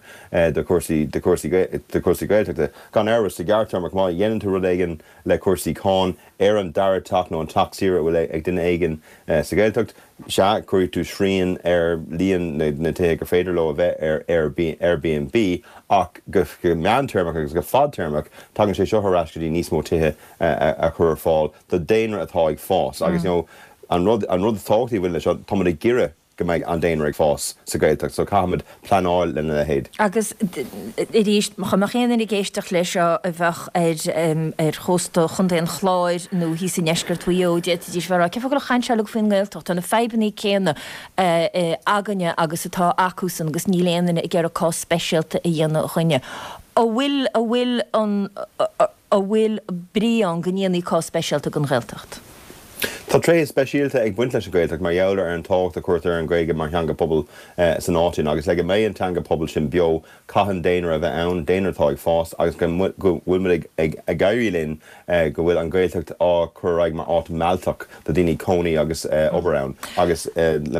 do chúrsaí do chúrsaí do chúrsaí Gaeltachta. Gan amhras, sa ghearrtéarma, má dhéanann tú rud éigin le cúrsaí cáin ar an dara teach nó an teach saoire a bhfuil ag duine éigin sa Ghaeltacht, sea, cuirfidh tú srian ar líon na tithe gur féidir leo a bheith ar Airbnb ach go meántéarmach agus go fadtéarmach, tagann sé seo ar ais go dtí níos mó tithe a chur ar fáil do daonra atá ag fás. Agus, you know, an rud an rud is tábhachtaí a bhaineann leis seo, táimid ag iarraidh go mbeidh an daonra ag fás sa Ghaeltacht so caithfimid pleanáil lena leithéid. Agus arís, dá mbeadh aon duine ag éisteacht leis seo a bheadh ar chósta Chontae an Chláir nó thíos i ndeisceart Mhaigh Eo, d'fhéadfaidís bheith ag rá, cén fáth go bhfuil an chaint seo uilig faoin nGaeltacht? Tá na fadhbanna céanna againne agus atá acusan agus níl aon duine ag iarraidh cás speisialta a dhéanamh dhúinne. An bhfuil, an bhfuil an. An bhfuil brí ann go ndéanfaí cás speisialta den Ghaeltacht? Tá tréithe speisialta ag baint leis an Ghaeltacht mar gheall ar an tábhacht a chuirtear ar an Ghaeilge mar theanga pobail san áit sin agus le go mbeidh an teanga pobail sin beo caitheann daonra a bheith ann, daonra atá ag fás agus go bhfuil muid ag éirí linn go bhfuil an Ghaeltacht á cur ar aghaidh mar áit mealltach do daoine cónaí agus obair ann agus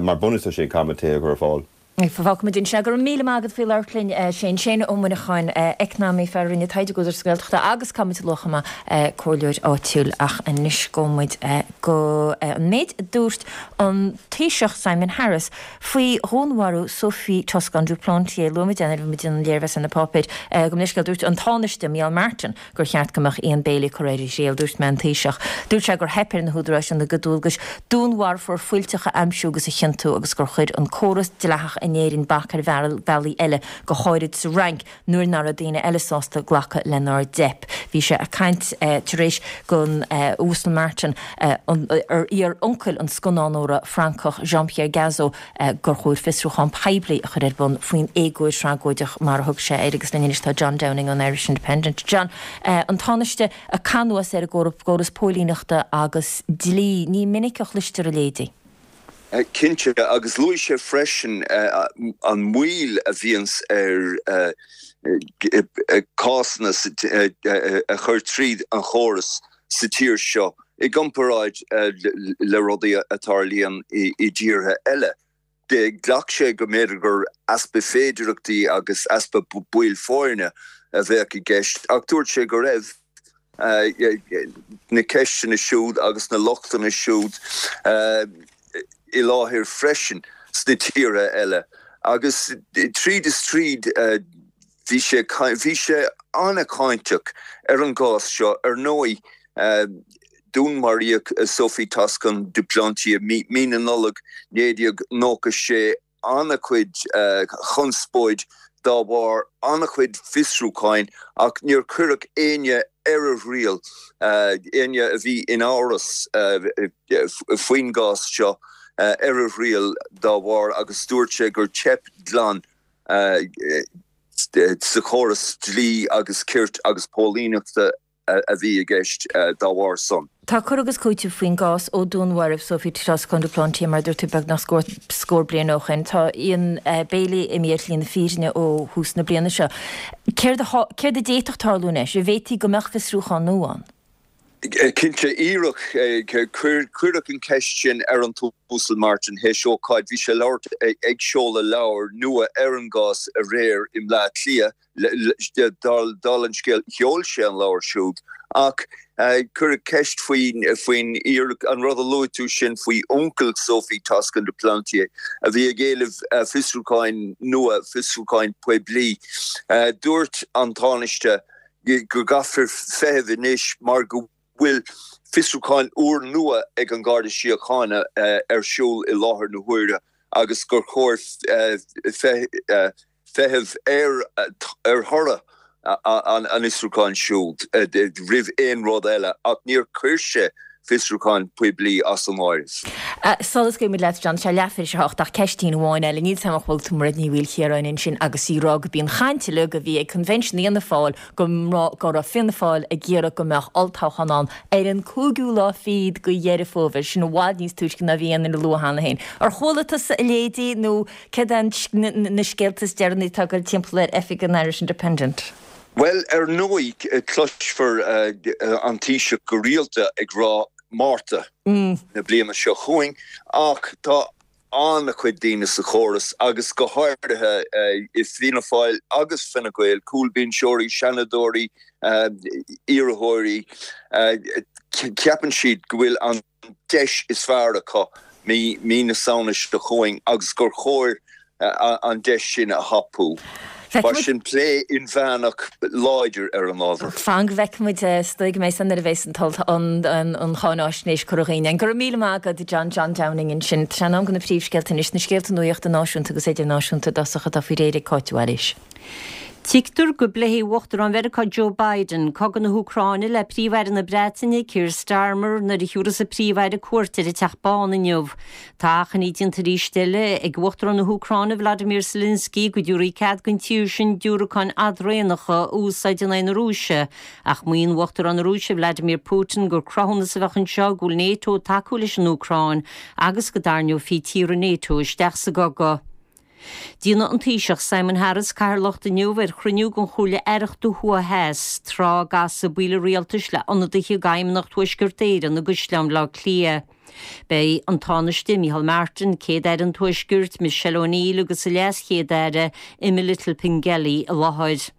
mar bhunús leis sin caithfimid tithe a chur ar fáil. Fágfaimid ansin. Go raibh míle maith agat faoi labhairt linn, a Shane. Shane Ó Muineacháin, eacnamaí, fear a rinne taighde ag Údarás na Gaeltachta agus caithfimid a lua chomh maith, comhairleoir áitiúil. Ach anois gabhfaidh muid go an méid a dúirt an Taoiseach Simon Harris faoi dhúnmharú Sophie Toscan du Plantier. Luaigh muid é nuair a bhí muid ag déanamh an léirmheas ar na páipéir. Gabh mo leithscéal, dúirt an Tánaiste Micheál Martin gur cheart go mbeadh Ian Bailey curtha ar a thriail, dúirt mé an Taoiseach. Dúirt sé gur theip ar na húdaráis ina gcuid dualgais dúnmharfóir fuilteach a aimsiú agus a chiontú agus gur chuir an córas dleathach in Éirinn bac ar bhealaí eile, go háirid sa Fhrainc, nuair nach raibh daoine eile sásta glacadh lenár dteip. Bhí sé ag caint tar éis don Uasal Martin, ar iar-uncail an scannánóra Francach Jean-Pierre Gazo, gur chóir fiosrúchán poiblí a chur ar bun faoin éagóir thragóideach mar a thug sé air agus linn anois tá John Downing ón Irish Independent. John, an Tánaiste ag cur anuas ar an gcóras póilíneachta agus dlí, ní minic a chloistear a leithéidí. Cinnte, agus luaigh sé freisin an mhoill a bhíonns ar cásanna a chur tríd an chóras sa tír seo i gcomparáid le rudaí a tarlaíonn i dtíortha eile. Ghlac sé go mb'fhéidir gur easpa féidireachtaí agus easpa baill foirne a bheadh i gceist ach dúirt sé go raibh na ceisteanna siúd agus na lochtanna siúd i láthair freisin sna tíortha eile agus tríd is tríd bhí sé bhí sé an-cháinteach ar an gcás seo. Ar ndóigh, dúnmaraíodh Sophie Toscan du Plantier mí na Nollag 1996. an-chuid chonspóid dá bharr, an-chuid fiosrúcháin ach níor cuireadh éinne ar a thriail, éinne a bhí in amhras faoin gcás seo ar a thriail dá bharr agus dúirt sé gur teip glan sa chóras dlí agus cirt agus póilíneachta a bhí i gceist dá bharr san. Tá cur agus cúiteamh faoin gcás ó dúnmharaíodh Sophie Toscan du Plantier, mar a dúirt tú, beagnach scór bliain ó shin. Tá Ian Bailey imithe ar shlí na fírinne ó thús na bliana seo. Céard a céard a d'fhéadfadh tarlú anois? An bhféadfaí go mbeadh fiosrúchán nua ann? Cinnte, iarradh, cuireadh an cheist sin ar an tUasal Martin théis ócáid, bhí sé ag labhairt ag seoladh leabhair nua ar an gcás aréir i mBleá Cliath. Dála an scéil, sheol sé an leabhar siúd ach cuireadh ceist faoin an rud a luaigh tú sin faoi uncail Sophie Toscan du Plantier a bhí ag éileamh fiosrúcháin nua, fiosrúcháin poiblí. Dúirt an Tánaiste go gcaithfear feitheamh anois mar go bhfuil fiosrúchán úrnua ag an Gharda Síochána ar siúl i láthair na huaire agus gur chóir feitheamh ar thoradh an fhiosrúcháin siúd roimh aon rud eile, ach níor chuir sé fiosrúchán poiblí as an áireamh. Sula scaoilfimid leat, John, tá sé leathuair tar éis a hocht, ach ceistín amháin eile. Níl 's a'm an bhfuil tú mar Ní Mhaoilchiaráin ansin agus í ag rá gurb í an chaint uilig a bhí ag Convention Fhianna Fáil go go raibh Fianna Fáil ag iarraidh go mbeadh olltoghchán ann ar an cúigiú lá fichead de Dheireadh Fómhair, sin i bhfad níos túisce ná bhí aon duine ag lua cheana féin. Ar chuala tusa a leithéidí nó Céard é na scéalta is deireanaí atá ag goil timpeall ar oifig an Irish Independent? Bhuel, ar ndóigh, cloisfear an Taoiseach go rialta ag rá Márta na bliana seo chugainn, ach tá an-chuid daoine sa chóras, agus go háirithe i Fianna Fáil agus Fine Gael, cúlbhinseoirí, seanadóirí, iarrthóirí, ceapann siad go bhfuil an. deis is fearr acu mí na Samhna seo chugainn agus gur chóir an deis sin a thapú. Mar sin, plé inmheánach láidir ar an ábhar. Fan go bhfeicfimid, is dóigh go mbeidh san nuair a bheas an cháináisnéis curtha chugainn. Go raibh míle maith agat, John, John Downing ansin. Tá sé in am do na príomhscéalta anois, na scéalta nuachta náisiúnta agus idirnáisiúnta i dtosach atá faoi réir ag Cáit Mhaoilís. Tuigtear go bpléifidh Uachtarán Mheiriceá Joe Biden cogadh na hÚcráine le Príomh-Aire na Breataine, Keir Starmer, nuair a thiúrfas an Príomh-Aire cuairt ar an Teach Bán inniu. Tá achainí déanta arís eile ag Uachtarán na hÚcráine Volodymyr Zelensky go dtabharfaí cead don tír sin diúracáin fhadraonacha a úsáid in aghaidh na Rúise, ach maíonn Uachtarán na Rúise Vladimir Putin gur cruthúnas a bheadh anseo go bhfuil Nato ag tacú leis an Úcráin agus go dtarraingeofaí tíortha Nato isteach sa gcogadh. Déanfaidh an Taoiseach Simon Harris cathaoirleacht inniu ar chruinniú den Chomhairle Aireachta Thuaidh Theas, tráth a gcasfaidh baill an rialtais le ionadaithe d'Fheidhmeannacht Thuaisceart Éireann i gCaisleán Bhaile Átha Cliath. Beidh an Tánaiste Micheál Martin, Céad-Aire an Tuaiscirt, Michelle O'Neill agus an LeasChéad-Aire Emma Little-Pengelly i láthair.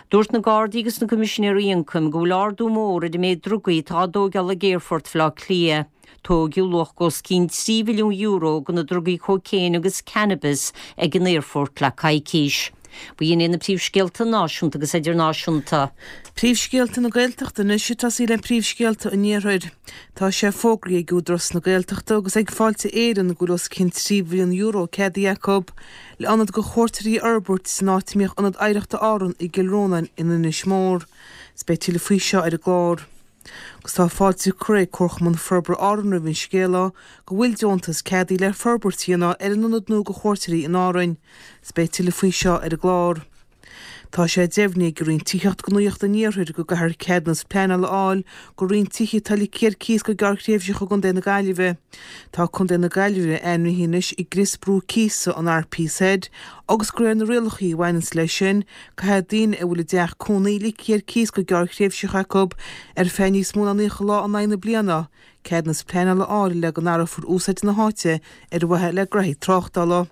Dúirt na Gardaí agus na Coimisinéirí Ioncaim go bhfuil ardú mór ar an méid drugaí atá á dtóigeáil ag Aerfort Bhaile Átha Cliath. Tóigeadh luach os cionn €3 mhilliún de na drugaí cócaon agus cannabis ag an aerfort le coicís. B'in iad na príomhscéalta náisiúnta agus idirnáisiúnta. Príomhscéalta na Gaeltachta anois ag tosaí le príomhscéalta an Iarthair. Tá sé fógraithe ag Údarás na Gaeltachta agus ag Fáilte Éireann go bhfuil os cionn €3 mhilliún ceadaithe acu le ionad do chuairteoirí a fhorbairt san áit a mbíodh Ionad Oidhreachta Árann i gCill Rónáin in Inis Mór. 'S beidh tuilleadh faoi seo ar an gclár. Agus tá fáilte curtha ag Comharchumann Forbartha Árann roimh an scéala go bhfuil deontas ceadaithe le forbairt a dhéanamh ar an ionad nua do chuairteoirí in Árainn. 'S beidh tuilleadh faoi seo ar an gclár. Tá sé deimhnithe ag an Roinn Tithíochta Gnóthaí an Iarthair go gcaithfear ceadúnas pleanála a fháil go roinnt tithe atá ligthe ar cíos go gearrthréimhseach i gContae na Gaillimhe. Tá Contae na Gaillimhe ainmnithe anois i gcrios brú cíosa an RPZ agus de réir na rialacha a bhaineanns leis sin, caithfidh daoine a bhfuil a dteach cónaí ligthe ar cíos go gearrthréimhseach acu ar feadh níos mó ná 90 lá in aghaidh na bliana, ceadúnas pleanála a fháil le go n-athrófar úsáid na háite ar mhaithe le graithí tráchtála.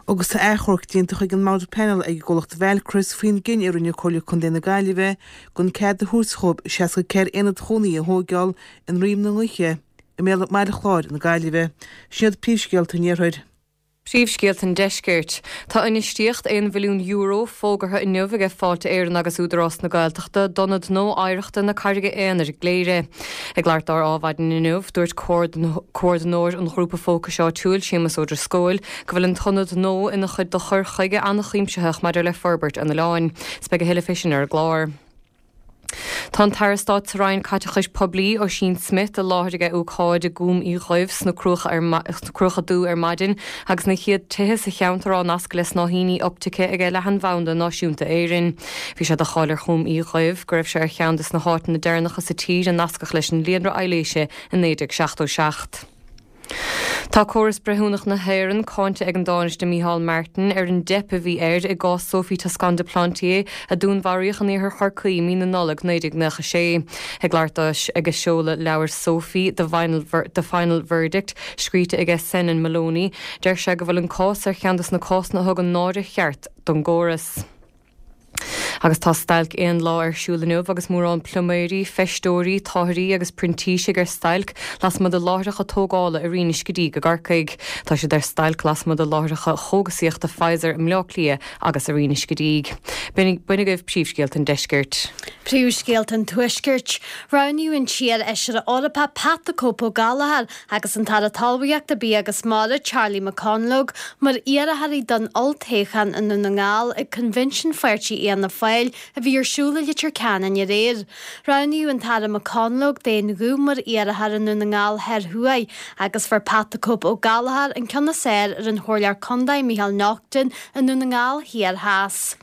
Agus tá achomharc déanta chuig an mBord Pleanála ag an gcomhlacht Valchris faoin gcinneadh a rinne Comhairle Contae na Gaillimhe gan cead a thabhairt dhóibh 64 aonad chónaithe a thóigeáil i nDroim na nGaoithe i mbéal Baile Chláir na Gaillimhe. Sin iad príomhscéalta an Iarthair. Príomhscéalta an Deiscirt. Tá infheistíocht €1 bhilliún fógartha inniu aige Fáilte Éireann agus Údarás na Gaeltachta d'Ionad nua Oidhreachta na Carraige Aonair i gCléire. Ag labhairt dó ar Adhmhaidin inniu, dúirt Comhordaitheoir an Ghrúpa Fócais Áitiúil, Séamus Ó Drisceoil, go bhfuil an t-ionad nua ina chuid de chur chuige an-chuimsitheach maidir le forbairt an oileáin. 'S beidh a thuilleadh fé sin ar an gclár. Tá an tAire Stáit sa Roinn Caiteachais Poiblí, Ossian Smyth, i láthair aige ócáid i gCúm Uí Dhuibh sna Cruacha Dubha ar maidin agus na chéad tithe sa cheantar á nascadh le snáithíní optaice aige Leathanbhanda Náisiúnta Éireann. Bhí sé de cháil ar Chúm Uí Dhuibh go raibh sé ar cheann des na háiteanna deireanacha sa tír a nascadh leis an líonra aibhléise i 1977. Tá córas breithiúnach na hÉireann cáinte ag an dTánaiste Micheál Martin ar an dteip a bhí air i gcás Sophie Toscan du Plantier a dúnmharaíodh in iarthar Chorcaí i mí na Nollag 1996. Ag labhairt dó ag seoladh leabhair Sophie, The Final Verdict, scríte aige Senan Moloney, deir sé go bhfuil an cás ar cheann de na cásanna a thugann náire cheart don gcóras. Agus tá stailc aon lá ar siúl inniu agus mórán pluiméirí, feisteoirí, táthairí agus printísigh ar stailc lasmuigh de láithreacha tógála i Rinn Uisce Díg i gCorcaigh. Tá siad ar stailc lasmuigh de láithreacha chógasaíochta Pfizer i mBleá Cliath agus i Rinn Uisce Díg. B'in agaibh príomhscéalta an deiscirt. Príomhscéalta an Tuaiscirt. Roghnaíodh an t-iar-fheisire Eorpach Pat the Cope Ó Gallchóir agus an tAire Talmhaíochta, Bia agus Mara, Charlie McConalogue, mar iarrthóirí don olltoghchán i nDún na nGall ag Coinbhinsiún Pháirtí Fhianna Fáil a bhí ar siúl i Leitir Ceanainn aréir. Roghnaíodh an tAire McConalogue d'aon ghuth mar iarrthóir i nDún na nGall Thoir Thuaidh agus fuair Pat the Cope Ó Gallchóir an ceann is fearr ar an Chomhairleoir Contae Micheál Naughton i nDún na nGall Thiar Theas.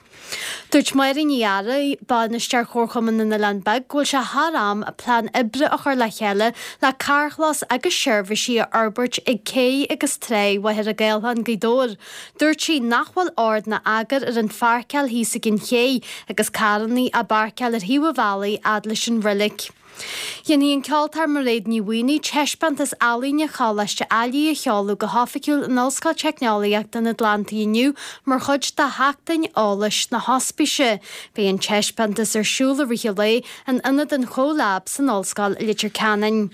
Dúirt Máire Ní Fhearraigh, Bainisteoir Chomharchumann na nOileán Beag go bhfuil sé thar am plean oibre a chur le chéile le carrchlós agus seirbhísí a fhorbairt ag cé agus tráigh Mhachaire Gathlán, Gaoth Dobhair. Dúirt sí nach bhfuil ord ná eagar ar an pháirceáil thíos ag an ché agus carrannaí á bpáirceáil ar thaobh an bhealaigh fhad leis an roilig. Déanfaidh an ceoltóir Mairéad Ní Mhaonaigh taispeántas ealaíne Choláiste Ailigh a sheoladh go hoifigiúil in Ollscoil Teicneolaíochta an Atlantaigh inniu mar chuid de Sheachtain Eolais na hOspíse. Beidh an taispeántas ar siúl i rith an lae in Ionad an CoLab san Ollscoil i Leitir Ceanainn.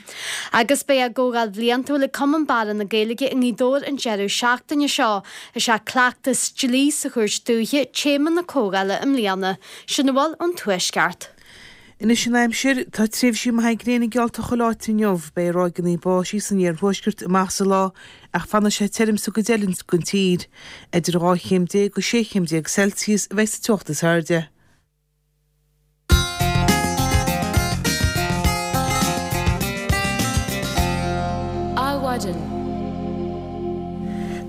Agus beidh a gcomhdháil bhliantúil ag Cumann Barra na Gaeilge i nGaoth Dobhair an deireadh seachtaine seo. Is é Cleachtas Dlí sa Chúirt Dúiche téama na comhdhála i mbliana. Sin a bhfuil ón Tuaisceart. Anois an aimsir, tá tréimhsí maithe gréine geallta chuile áit inniu. Beidh ráigeanna báistí san iarthuaisceart amach sa lá ach fanfaidh sé tirim sa gcuid eile den tír. Idir 12 chéim go 16 chéim Celsius a bheidh sa teocht is airde. Adhmhaidin.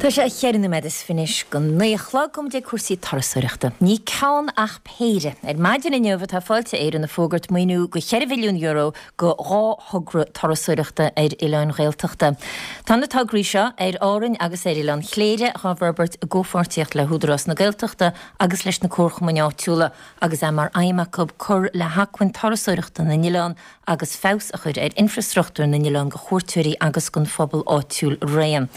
Tá sé cheithre nóiméad is fiche go naoi a chlog, gabhfaidh muid ag cúrsaí turasóireachta. Ní ceann ach péire. Ar maidin inniu atá Fáilte Éireann ag fógairt maoiniú de €4 mhilliún do dhá thogra turasóireachta ar oileáin Ghaeltachta. Tá na tograí seo, ar Árainn agus ar Oileán Chléire, dhá bhforbairt i gcomhpháirtíocht le hÚdarás na Gaeltachta agus leis na comharchumainn áitiúla agus é mar aidhm acu cur le hacmhainn turasóireachta na n-oileán agus feabhas a chur ar infreastruchtúr na n-oileán do chuairteoirí agus don phobal áitiúil araon.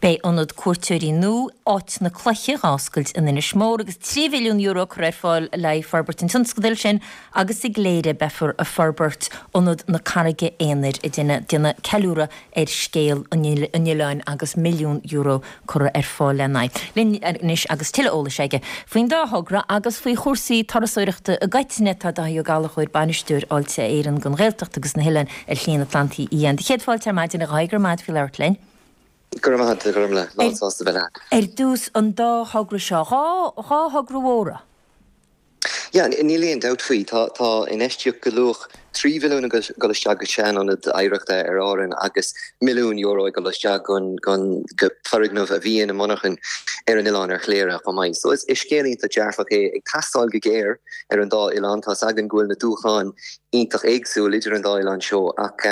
Beidh ionad cuairteoirí nua, Áit na Cloiche, dhá oscailt in Inis Mór agus €3 mhilliún curtha ar fáil le haghaidh forbairt an tionscadail sin agus i gCléire beifear ag forbairt Ionad na Carraige Aonair ag déanamh ceiliúradh ar scéal an oileáin agus €1 milliún curtha ar fáil lena aghaidh. Linn anois agus tuilleadh eolais aige faoin dá thogra agus faoi chúrsaí turasóireachta i gcoitinne tá Dáithí Ó Gallchóir, Bainisteoir Fháilte Éireann don Ghaeltacht agus na hOileáin ar Shlí an Atlantaigh Fhiáin. Do chéad fáilte ar maidin a Dháithí, go raibh maith agat faoi labhairt linn. Go raibh maith agat, a Ghormlaith. Lán sásta a bheith leat. Ar dtús, an dá thogra seo, dhá thogra mhóra. Yeah, níl aon dabht faoi. Tá tá infheistíocht de luach 3 mhilliún ag dul isteach go sean-ionad oidhreachta ar Árainn agus milliún euro ag dul isteach gon gon go foirgneamh a bhí ina monarchan ar an oileán ar Chléire chomh maith. So is is scéal iontach dearfach é ag teastáil go géar ar an dá oileán. Tá's againn go bhfuil na dúshláin iontach éagsúil idir an dá oileán seo ach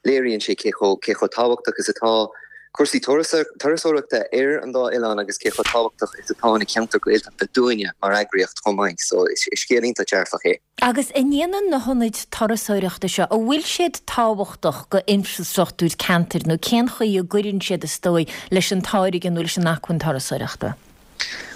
léiríonn sé cé chomh cé chomh tábhachtach is atá cúrsaí turasóireachta ar an dá oileán agus cé chomh tábhachtach is atá na ceantair Ghaeltachta dúinne mar eagraíocht chomh maith. So is scéal iontach dearfach é. Agus an ndéanann na hionaid turasóireachta seo, an bhfuil siad tábhachtach go infreastruchtúr ceantair nó cén chaoi a gcuireann siad is dóigh leis an táirge nó leis an acmhainn turasóireachta?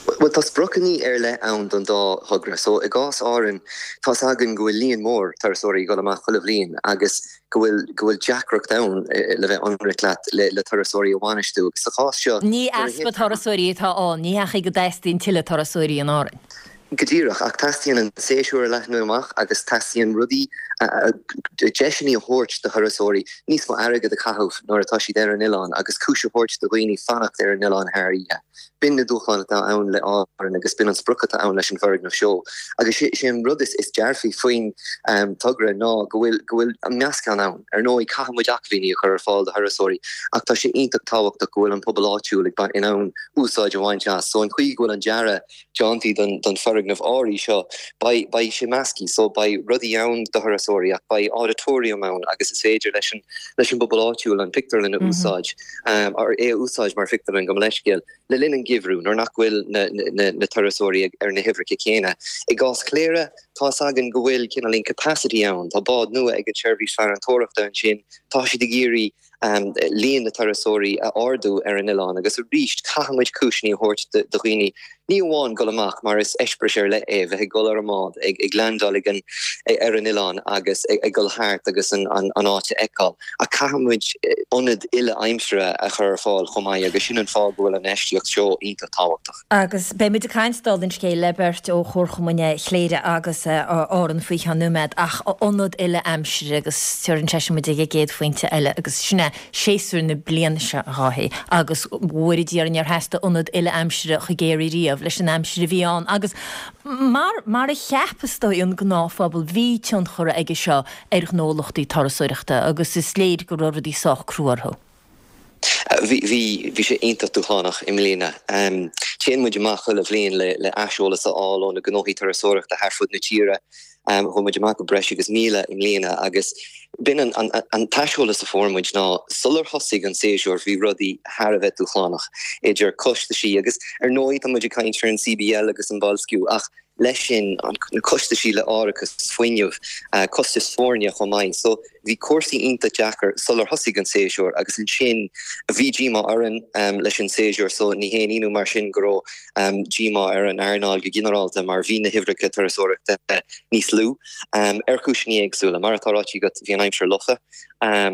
Bhuel, tá spriocanna ar leith ann don dá thogra. So, i gcás Árann, tá's againn go bhfuil líon mór turasóirí ag dul amach chuile bhliain agus go bhfuil, go bhfuil deacracht ann, le bheith ionraic leat, le, le turasóirí a bhainistiú. Agus sa chás seo, Ní easpa turasóirí atá ann, ní hea go dteastaíonn tuilleadh turasóirí in Árainn. Go díreach, ach teastaíonn an séasúr a leathnú amach agus teastaíonn rudaí, deiseanna a thabhairt do thurasóirí níos mó airgead a chaitheamh nuair atá siad ar an oileán agus cúis a thabhairt do dhaoine fanacht ar an oileán thar oíche. B'in na dúshláin atá ann le Árainn agus b'in an sprioc atá ann leis an bhfoirgneamh seo. Agus sé an rud is dearfaí faoin togra ná go bhfuil go bhfuil an meascán ann. Ar ndóigh, caithfidh muid acmhainní a chur ar fáil do thurasóirí ach tá sé iontach tábhachtach go bhfuil an pobal áitiúil ag in ann úsáid a bhaint as. So an chaoi go bhfuil an dearadh déanta don foirgneamh áirithe seo, beidh, beidh sé measctha, so beidh rudaí ann do thurasóirí ach beidh auditorium ann agus is féidir leis an, leis an bpobal áitiúil an pictiúrlann a úsáid, or é a úsáid mar phictiúrlann, gabh mo leithscéal, le linn an gheimhridh nuair nach bhfuil na, na, na turasóirí ag, ar na huimhreacha céanna. I gcás Chléire, tá's againn go bhfuil cineáilín capacity ann, tá bád nua ag an tseirbhís farantóireachta ansin, tá siad ag iarraidh, líon na turasóirí a ardú ar an oileán agus arís caithfidh muid cúiseanna a thabhairt do dhaoine ní amháin dul amach mar is eispéireas ar leith é bheith ag dul ar an mbád, ag leaindeáil ag an ar an oileán agus ag dul thart agus an áit a fheiceáil ach caithfidh muid ionad uile aimsire a chur ar fáil chomh maith agus sin an fáth go bhfuil an infheistíocht seo iontach tábhachtach. Agus beidh muid ag caint dála an scéil le beirt ó Chomharchumainn Chléire agus Árann faoi cheann nóiméad ach ionad uile aimsire agus tabharann sé sin muid ag an gcéad phointe eile agus sin é séasúr na bliana seo a Dháithí agus go bhfóire Dia orainn níor theastaigh ionad uile aimsire chomh géar ariamh leis an aimsir a bhí ann agus mar mar a cheap is dóigh an gnáthphobal bhí tionchar aige seo ar ghnólachtaí turasóireachta agus is léir go raibh rudaí sách crua orthu. Bhí, bhí, bhí sé iontach dúshlánach i mbliana. Téann muid amach chuile bhliain le, le aiseolas a fháil ó na gnóthaí turasóireachta thar fud na tíre. Chuaigh muid amach go breis agus 1,000 i mbliana agus b'in an, an, an t-aiseolas a fuair muid ná sular thosaigh an séasúr bhí rudaí thar a bheith dúshlánach idir costaisí agus ar ndóigh tá muid ag caint ar an CBL agus an boilsciú ach leis sin, na costaisí le árachas, fuinneamh, costais foirne chomh maith. So bhí cúrsaí iontach deacair sular thosaigh an séasúr agus ansin bhí díomá orainn leis an séasúr so ní haon ionadh mar sin go raibh díomá ar an earnáil go ginearálta mar bhí na huimhreacha turasóireachta níos lú ar chúiseanna éagsúla. Mar atá ráite agat bhí an aimsir lofa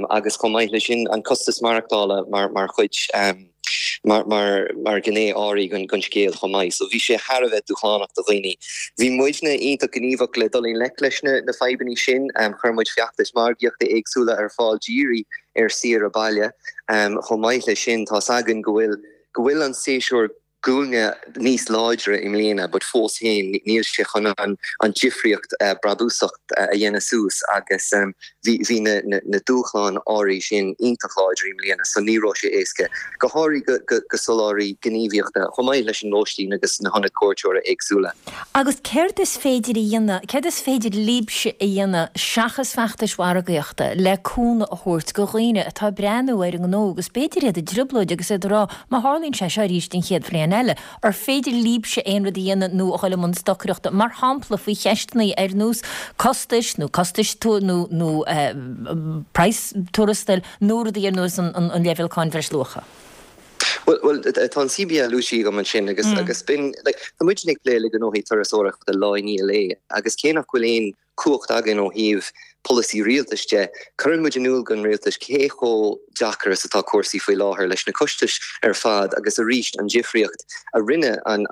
agus chomh maith leis sin an costas maireachtála mar chuid mar mar ghné áirithe den scéal chomh maith. So bhí sé thar a bheith dúshlánach do dhaoine. Bhí muidne iontach gníomhach le dul i ngleic leis na na fadhbanna sin. Chuir muid feachtais margaíochta éagsúla ar fáil dírithe ar saoire baile. Chomh maith leis sin, tá's againn go bhfuil go bhfuil an séasúr guailne níos láidre i mbliana but fós féin níl sé chun an an difríocht brabúsach a dhéanamh suas agus Bhí, bhí na, na, na dúshláin áirithe sin iontach láidir i mbliana so ní raibh sé éasca, go háirithe go, go, go soláthraí gníomhaíochta, chomh maith leis an lóistín agus na hionaid cuairteora éagsúla. Agus céard is féidir a dhéanamh, céard is féidir libhse a dhéanamh seachas feachtais mhargaíochta le cúnamh a thabhairt go dhaoine atá ag breathnú ar a ngnó agus b'fhéidir iad i dtrioblóid agus iad ag rá má tharlaíonn sé seo arís an chéad bhliain eile, Ar féidir libhse aon rud a dhéanamh nó a dhul i mbun stocaireachta, mar shampla, faoi cheisteanna ar nós costais nó costais nó nó praghas tuarastail nó rudaí ar nós an leibhéal cáin bhreisluacha? Bhuel, bhuel, tá an CBL luaite agam ansin agus agus b'in, like, tá muidne ag plé le gnóthaí turasóireachta lá i ndiaidh lae agus cé nach bhfuil aon cumhacht againn ó thaobh polasaí rialtais de, cuireann muid in iúl don rialtas cé chomh deacair is atá cúrsaí faoi láthair leis na costais ar fad agus arís an difríocht a rinne an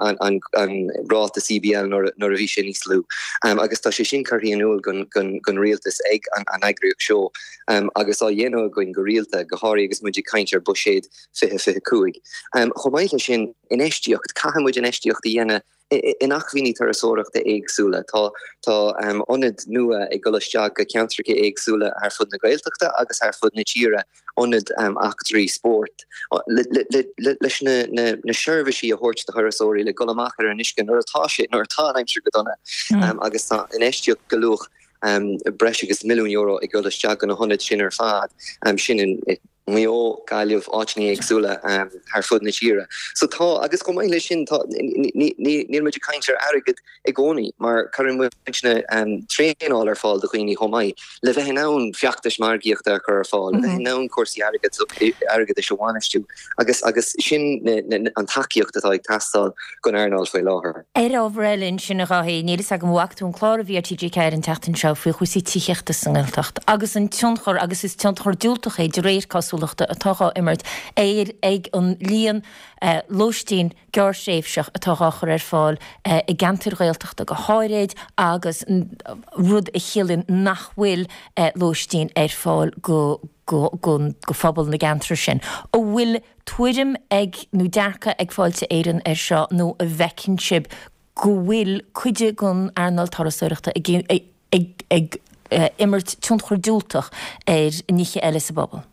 ráta CBL nuair a bhí sé níos lú. Agus tá sé sin curtha in iúl don rialtas ag an eagraíocht seo agus á dhéanamh againn go rialta, go háirithe agus muid ag caint ar Buiséad 2025. Chomh maith leis sin, infheistíocht, caithfidh muid infheistíocht a dhéanamh. in acmhainní turasóireachta éagsúla. Tá tá ionaid nua ag dul isteach go ceantracha éagsúla thar fud na Gaeltachta agus thar fud na tíre, ionaid eachtraí spóirt, leis na seirbhísí a thabhairt do thurasóirí le dul amach ar an uisce nuair atá sé, nuair atá an aimsir go dona agus tá infheistíocht de luach breis agus €1,000,000 ag dul isteach go na hionaid sin ar fad, sin i Maigh Eo, Gaillimh, áiteanna éagsúla thar fud na tíre. So tá, agus chomh maith leis sin, tá, níl muid ag caint ar airgead i gcónaí mar cuireann muidne traenáil ar fáil do dhaoine chomh maith le bheith in ann feachtais margaíochta a chur ar fáil, le bheith in ann cúrsaí airgeadais a bhainistiú agus agus sin an tacaíocht atá ag teastáil don earnáil faoi láthair. Ar ábhar eile ansin, a Dháithí, níl fhios agam an bhfaca tú an clár a bhí ar TG4 an tseachtain seo faoi chúrsaí tithíochta sa nGaeltacht agus an tionchar, agus is tionchar diúltach é de réir cosúlachta, atá dhá imirt ar ag an líon lóistín gearrthréimhseach atá dhá chur ar fáil i gceantair Ghaeltachta go háirid agus rud a chiallaíonn nach bhfuil lóistín ar fáil go go phobal na gceantar sin. An bhfuil tuairim ag nó dearcadh ag Fáilte Éireann air seo nó an bhfeiceann sibh go bhfuil cuid den earnáil turasóireachta ag ag imirt tionchar diúltach ar nithe eile sa bpobal?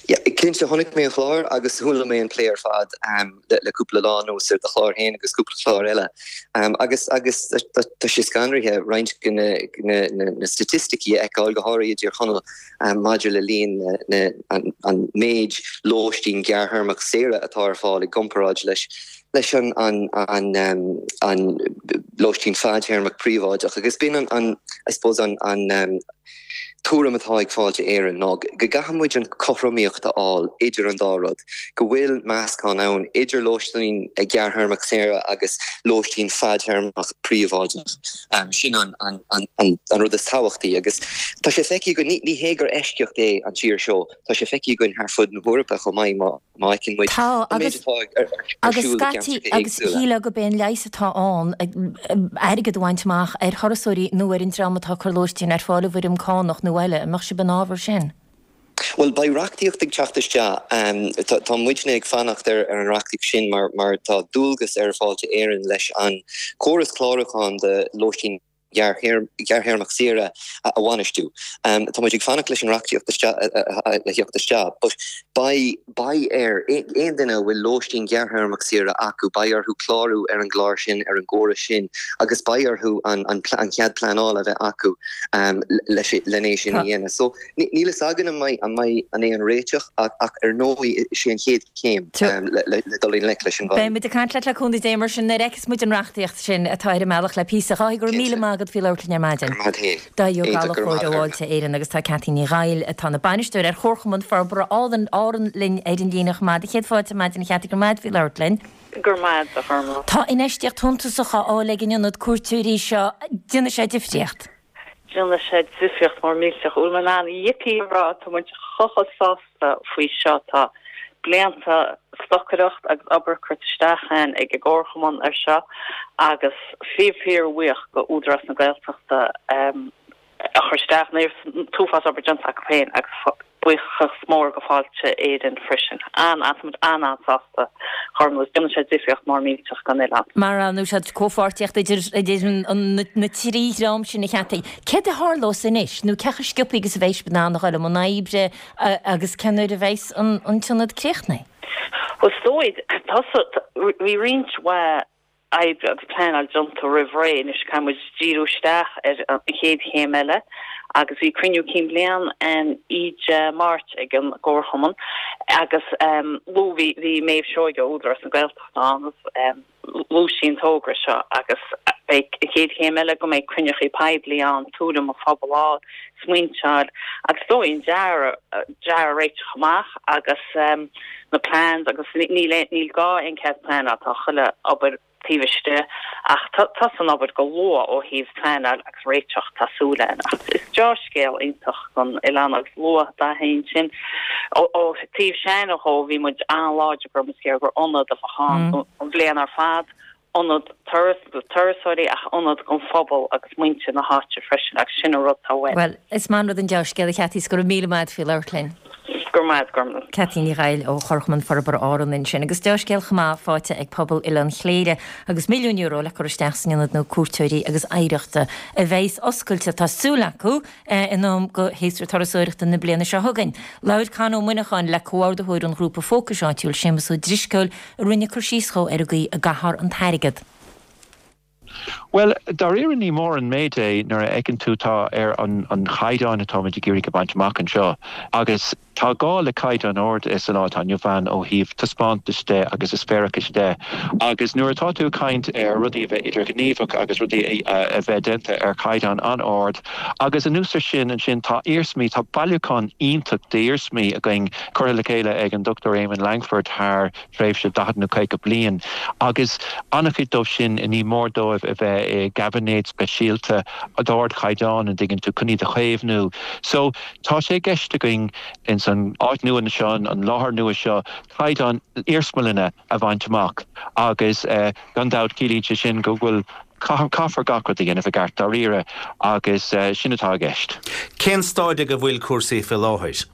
Yeah, cinnte, chonaic mé an clár agus chuala mé an plé ar fad le cúpla lá anuas ar do chlár féin agus cúpla clár eile. Agus agus tá sé scanraithe roinnt de na staitisticí a fheiceáil, go háirithe i dTír Chonaill, maidir le líon na an méid lóistín gearrthéarmach saoire atá ar fáil i gcomparáid leis leis an an an an lóistín fadtéarmach príobháideach. Agus b'in an an I suppose an an tuairim atá ag Fáilte Éireann ná go gcaithfidh muid an chothromaíocht a fháil idir an dá rud, go bhfuil meascán ann idir lóistín gearrthéarmach saoire agus lóistín fadtéarmach príobháideach. Sin an rud is tábhachtaí agus tá sé feicthe againn, ní hé gur eisceacht é an tír seo, tá sé feicthe againn thar fud na hEorpa chomh maith má má fheiceann muid Tá, an méid agus, atá ar agus siúl i scaití, gceantracha agus éagsúla. shílfeá gurb é an leigheas atá ann airgead a bhaint amach ar thurasóirí nó ar an dream atá ag cur lóistín ar fáil i bhfoirm cánach nó eile. An mbeadh sibh in fhabhar sin? Bhuel, beidh reachtaíocht ag teacht isteach. Tá, tá muidne ag fanacht ar ar an reachtaíocht sin mar, mar tá dualgas ar Fáilte Éireann leis an córas clárúcháin do lóistín ghearrthéarmach saoire a bhainistiú. Tá muid ag fanacht leis an reachtaíocht le theacht isteach but beidh beidh ar aon duine a bhfuil lóistín ghearrthéarmach saoire acu, beidh orthu clárú ar an gclár sin, ar an gcóras sin agus beidh orthu an an cead pleanála a bheith acu leis len é sin a dhéanamh. So Níl fhios againn an mbeidh an mbeidh an é an réiteach ach ar ndóigh is é an chéad chéim le dul i ngleic leis an bhfadhb. Beidh muid ag caint leat le cúnamh Dé mar sin nuair a fheicfeas muid an reachtaíocht sin atá ar an mbealach le píosa. A Dháithí, go raibh míle maith agat faoi labhairt linn ar maidin. Go raibh maith agat féin. Dáithí Ó Iontach, go raibh Gallchóir maith ó agat. Fháilte Éireann agus tá Ceaití Ní Dhaill atá ina bainisteoir ar Chomharchumann Forbartha Árann Árann linn ar an líne chomh maith. Do chéad fáilte ar maidin a Cheaití, go raibh maith agat faoi labhairt linn. Go raibh maith agat a Ghormfhlaith. Tá infheistíocht shuntasach á fháil ag an ionad cuairteoirí seo. Déanfaidh sé difríocht. Déanfaidh sé difríocht mór millteach. Bhfuil mé in ann yippee a rá, tá muid chomh chomh sásta faoi seo. Tá blianta stocaireacht agus obair curtha isteach againn ag an gComharchumann ar seo agus fíor fíor bhuíoch go Údarás na Gaeltachta a chuir isteach an t-uafás obair déanta acu féin agus Buíochas mór go Fáilte Éireann freisin. An, an, tá muid an-an-sásta, Gormfhlaith. Déanfaidh sé difríocht mór millteach don oileán. Mar a dúirt tú comhpháirtíocht idir idir na trí dhream sin a Cheaití. Céard a tharlós anois nó cé chomh sciobtha agus a bheidh sibh in ann a dhul i mbun oibre agus cén uair a bheidhs an an t-ionad críochnaithe? Bhuel, is dóigh, bhí roinnt mhaith oibre agus pleanáil déanta roimh ré. Anois caithfidh muid díriú isteach ar an chéad chéim eile agus bhí cruinniú cinn bliana ann oíche Máirt ag an gComharchumann agus luaigh, bhí Méabh Seoige ó Údarás na Gaeltachta ann agus luaigh sí an togra seo agus beidh an chéad chéim eile go mbeidh cruinneachaí poiblí ann, tuairim an phobail a fháil, smaointe a fháil agus is dóigh an dearadh, dearadh a réiteach amach agus na plans agus níl níl gá aon cead pleanála, tá chuile obair taobh istigh ach tosaíonn an obair go luath ó thaobh pleanáil agus réiteach, tá súil againn. Ach is deá-scéal iontach don oileán agus luaigh Dáithí ansin ó taobh s'againne dhó bhí muid an-láidir go raibh muid ag iarraidh gur ionad a bheadh ann an bhliain ar fad, ionad turas do turasóirí ach ionad don phobal agus muintir na háite freisin agus sin an rud atá uainn. Bhuel, is maith an rud an deá-scéal a Cheaití is go raibh míle maith agat faoi labhairt linn. Go raibh maith agat, Gormlaith. Cathy Ní Ghaill ó Chomharchumann Forbartha Árann ansin. Agus dea-scéal chomh maith faighte ag pobal Oileán Chléire agus €1,000,000 le cur isteach san ionad nua cuairteoirí agus oidhreachta a bheas oscailte, tá súil acu, in am do shéasúr turasóireachta na bliana seo chugainn. Labhair Con Ó Muineacháin le comhordaitheoir an ghrúpa fócais áitiúil, Séamus Ó Drisceoil, a rinne cur síos dhó ar an gcaoi a gcaithfear an t-airgead. Bhuel, dáiríre ní mór an méid é nuair a fheiceann tú tá ar an chaighdeán atáimid ag iarraidh a bhaint amach anseo agus tá gá le caighdeán ard sa lá atá inniu ann ó thaobh taispeántais de agus eispéireachais de agus nuair atá tú ag caint ar rudaí a bheith idirghníomhach agus rudaí a bheith déanta ar chaighdeán an-ard agus anuas ar sin ansin tá iarsmaí, tá bailiúchán iontach d'iarsmaí againn curtha le chéile ag an Dr Éamonn Langford thar tréimhse 40 nó 50 bliain, agus an-chuid dóibh sin, ní mór dóibh a bheith i gcaibinéid speisialta d'ardchaighdeán, an dtuigeann tú, chun iad a chaomhnú. So, tá sé i gceist againn ins an áit nua seo, an láthair nua seo, caighdeán iarsmalainne a bhaint amach agus gan dabht ciallaíonn sé sin go bhfuil, caithfear gach rud a dhéanamh i gceart dáiríre agus sin atá i gceist. Cén staid ag a bhfuil cúrsaí fé láthair?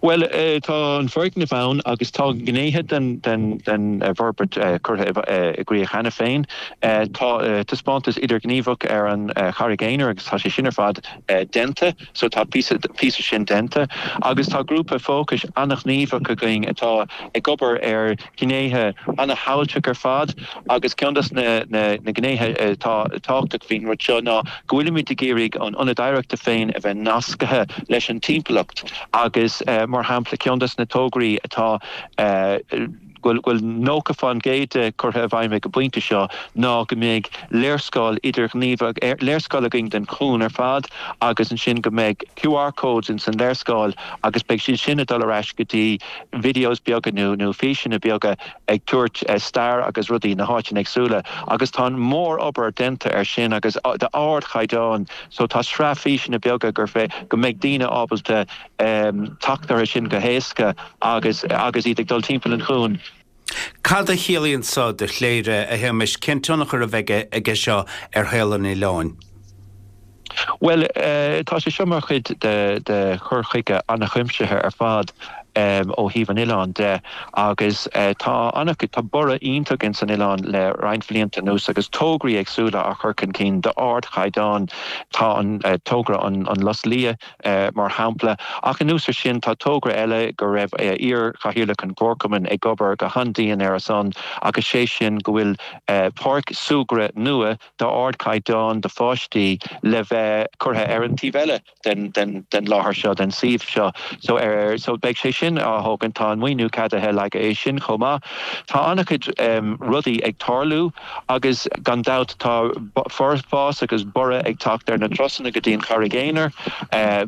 Bhuel, tá an foirgneamh ann agus tá gnéithe den bhforbairt curtha i gcrích cheana féin. Tá taispeántas idirghníomhach ar an Charraig Aonair agus tá sé sin ar fad déanta, so tá píosa sin déanta. Agus tá grúpa fócais an-ghníomhach againn atá ag obair ar ghnéithe an-shamhailteach ar fad agus ceann de na gnéithe atá tábhachtach faoin rud seo ná go bhfuilimid ag iarraidh an ionad oidhreachta féin a bheith nasctha leis an timpeallacht agus mar shampla ceann de na tograí atá go bhfuil 90% de curtha i bhfeidhm ag an bpointe seo ná go mbeidh léarscáil idirghníomhach, léarscáil againn den chuan ar fad agus ansin go mbeidh QR codes ins an léarscáil agus beidh siad sin ag dul ar ais go dtí videos beaga nó nó físeanna beaga ag tabhairt stair agus rudaí na háiteanna éagsúla agus tá an mór-obair déanta ar sin agus d'ardchaighdeán so tá sraith físeanna beaga gur fé go mbeidh daoine ábalta teacht orthu sin go héasca agus agus iad ag dul timpeall an chuain. Cad a chiallaíonn seo do Chléire, a Shéamais? Cén tionchar a bheidh aige seo ar shaol an oileáin? Bhuel, tá sé seo mar chuid de chur chuige an-chuimsithe ar fad ó thaobh an oileáin de agus tá an-, tá borradh iontach ins an oileán le roinnt bhlianta anuas agus tograí éagsúla á chur chun cinn d'ardchaighdeán. Tá an togra an Lus Liath mar shampla. Ach anuas ar sin tá togra eile go raibh iar-chathaoirleach an Chomharchumainn ag obair go han-dian ar a son agus sé sin go bhfuil páirc súgradh nua d'ardchaighdeán do pháistí le bheith curtha ar an taobh eile den den láthair seo, den suíomh seo. So ar so beidh sé sin á thógaint, tá an maoiniú ceadaithe le haghaidh é sin chomh maith. Tá an-chuid rudaí ag tarlú agus gan dabht tá fás agus borradh ag teacht ar na turasanna go dtí an Charraig Aonair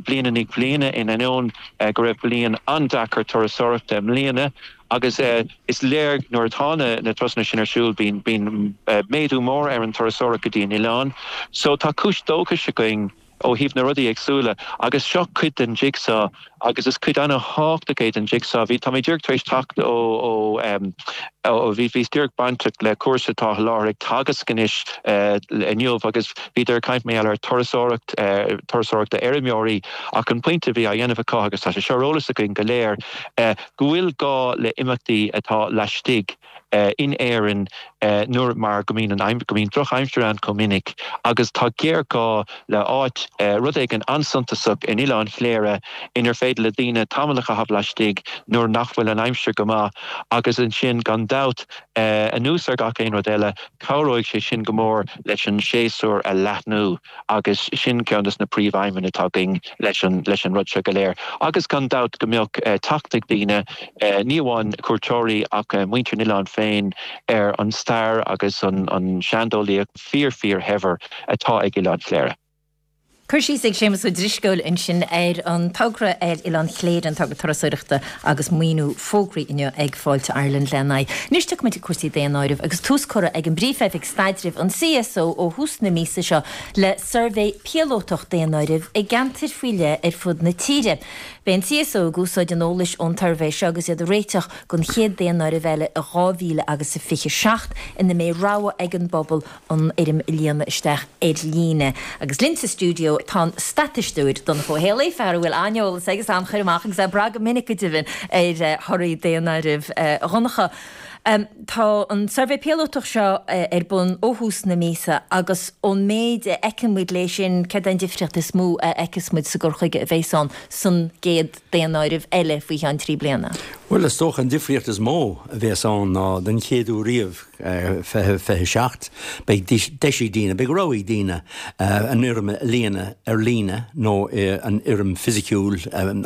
bliain i ndiaidh bliana in ainneoin go raibh bliain an-deacair turasóireachta i mbliana agus is léir nuair atá na turasanna sin ar siúl bíonn bíonn méadú mór ar an turasóireacht go dtí an oileán. So tá cúis dóchais againn ó thaobh na rudaí éagsúla agus seo cuid den jigsaw agus is cuid an-thábhachtach é den jigsaw. Bhí, tá mé díreach tar éis teacht ó, ó, ó, bhí, bhíos díreach bainteach le cúrsa atá i láthair ag Teagasc anois inniu agus bhíodar ag caint mar gheall ar turasóireacht, turasóireacht d'fheirmeoirí ach an pointe a bhí á dhéanamh acu agus tá sé seo ar eolas againn go léir, go bhfuil gá le imeachtaí atá laistigh in Éirinn nuair mar go mbíonn an go mbíonn drochaimsir ann chomh minic agus tá géarghá le áit, rud éigin an-suntasach in Oileán Chléire inar féidir le daoine tamall a chaitheamh laistigh nuair nach bhfuil an aimsir go maith agus ansin gan dabht anuas ar gach aon rud eile cabhróidh sé sin go mór leis an séasúr a leathnú. agus sin ceann de na príomhaidhmeanna atá againn leis an leis an rud seo go léir. Agus gan dabht go mbeadh teacht ag daoine, ní amháin cuairteoirí ach muintir an oileáin féin, ar an stair agus an seandálaíocht fíor fíor shaibhir atá ag Oileán Chléire. Cur síos ag Séamus Ó Drisceoil ansin ar an togra ar Oileán Chléire, an togra turasóireachta agus maoiniú fógraithe inniu ag Fáilte Ireland lena aghaidh. Anois tiocfaimid ag cúrsaí daonáirimh agus tús curtha ag an bPríomh-Oifig Staidrimh, an CSO, ó thús na míosa seo le suirbhé píolótach daonáirimh i gceantair faoi leith ar fud na tíre. Beidh an CSO ag úsáid an eolais ón tsuirbhé seo agus iad ag réiteach don chéad daonáireamh eile i 2000 agus a 27 ina mbeidh rogha ag an bpobal an fhoirm a líonadh isteach ar líne. Agus linn sa stiúideo. ndóigh tá an staitisteoir Donncha Ó Héalaí, fear a bhfuil an-eolas agus an-chur amach agus é ag brath go minic go deimhin ar thorthaí daonáirimh Dhonncha. Tá an suirbhé píolótach seo ar bun ó thús na míosa agus ón méid a fheiceann muid léi sin, céard é an difríocht is mó a fheiceas muid sa gcur chuige a bheas ann san gcéad daonáireamh eile faoi cheann 3 bliana? Bhuel, is dócha an difríocht is mó a bheas ann ná den chéad uair riamh, 20, 27, beidh deis ag daoine, beidh rogha ag daoine an fhoirm a líonadh ar líne nó an fhoirm fisiciúil, an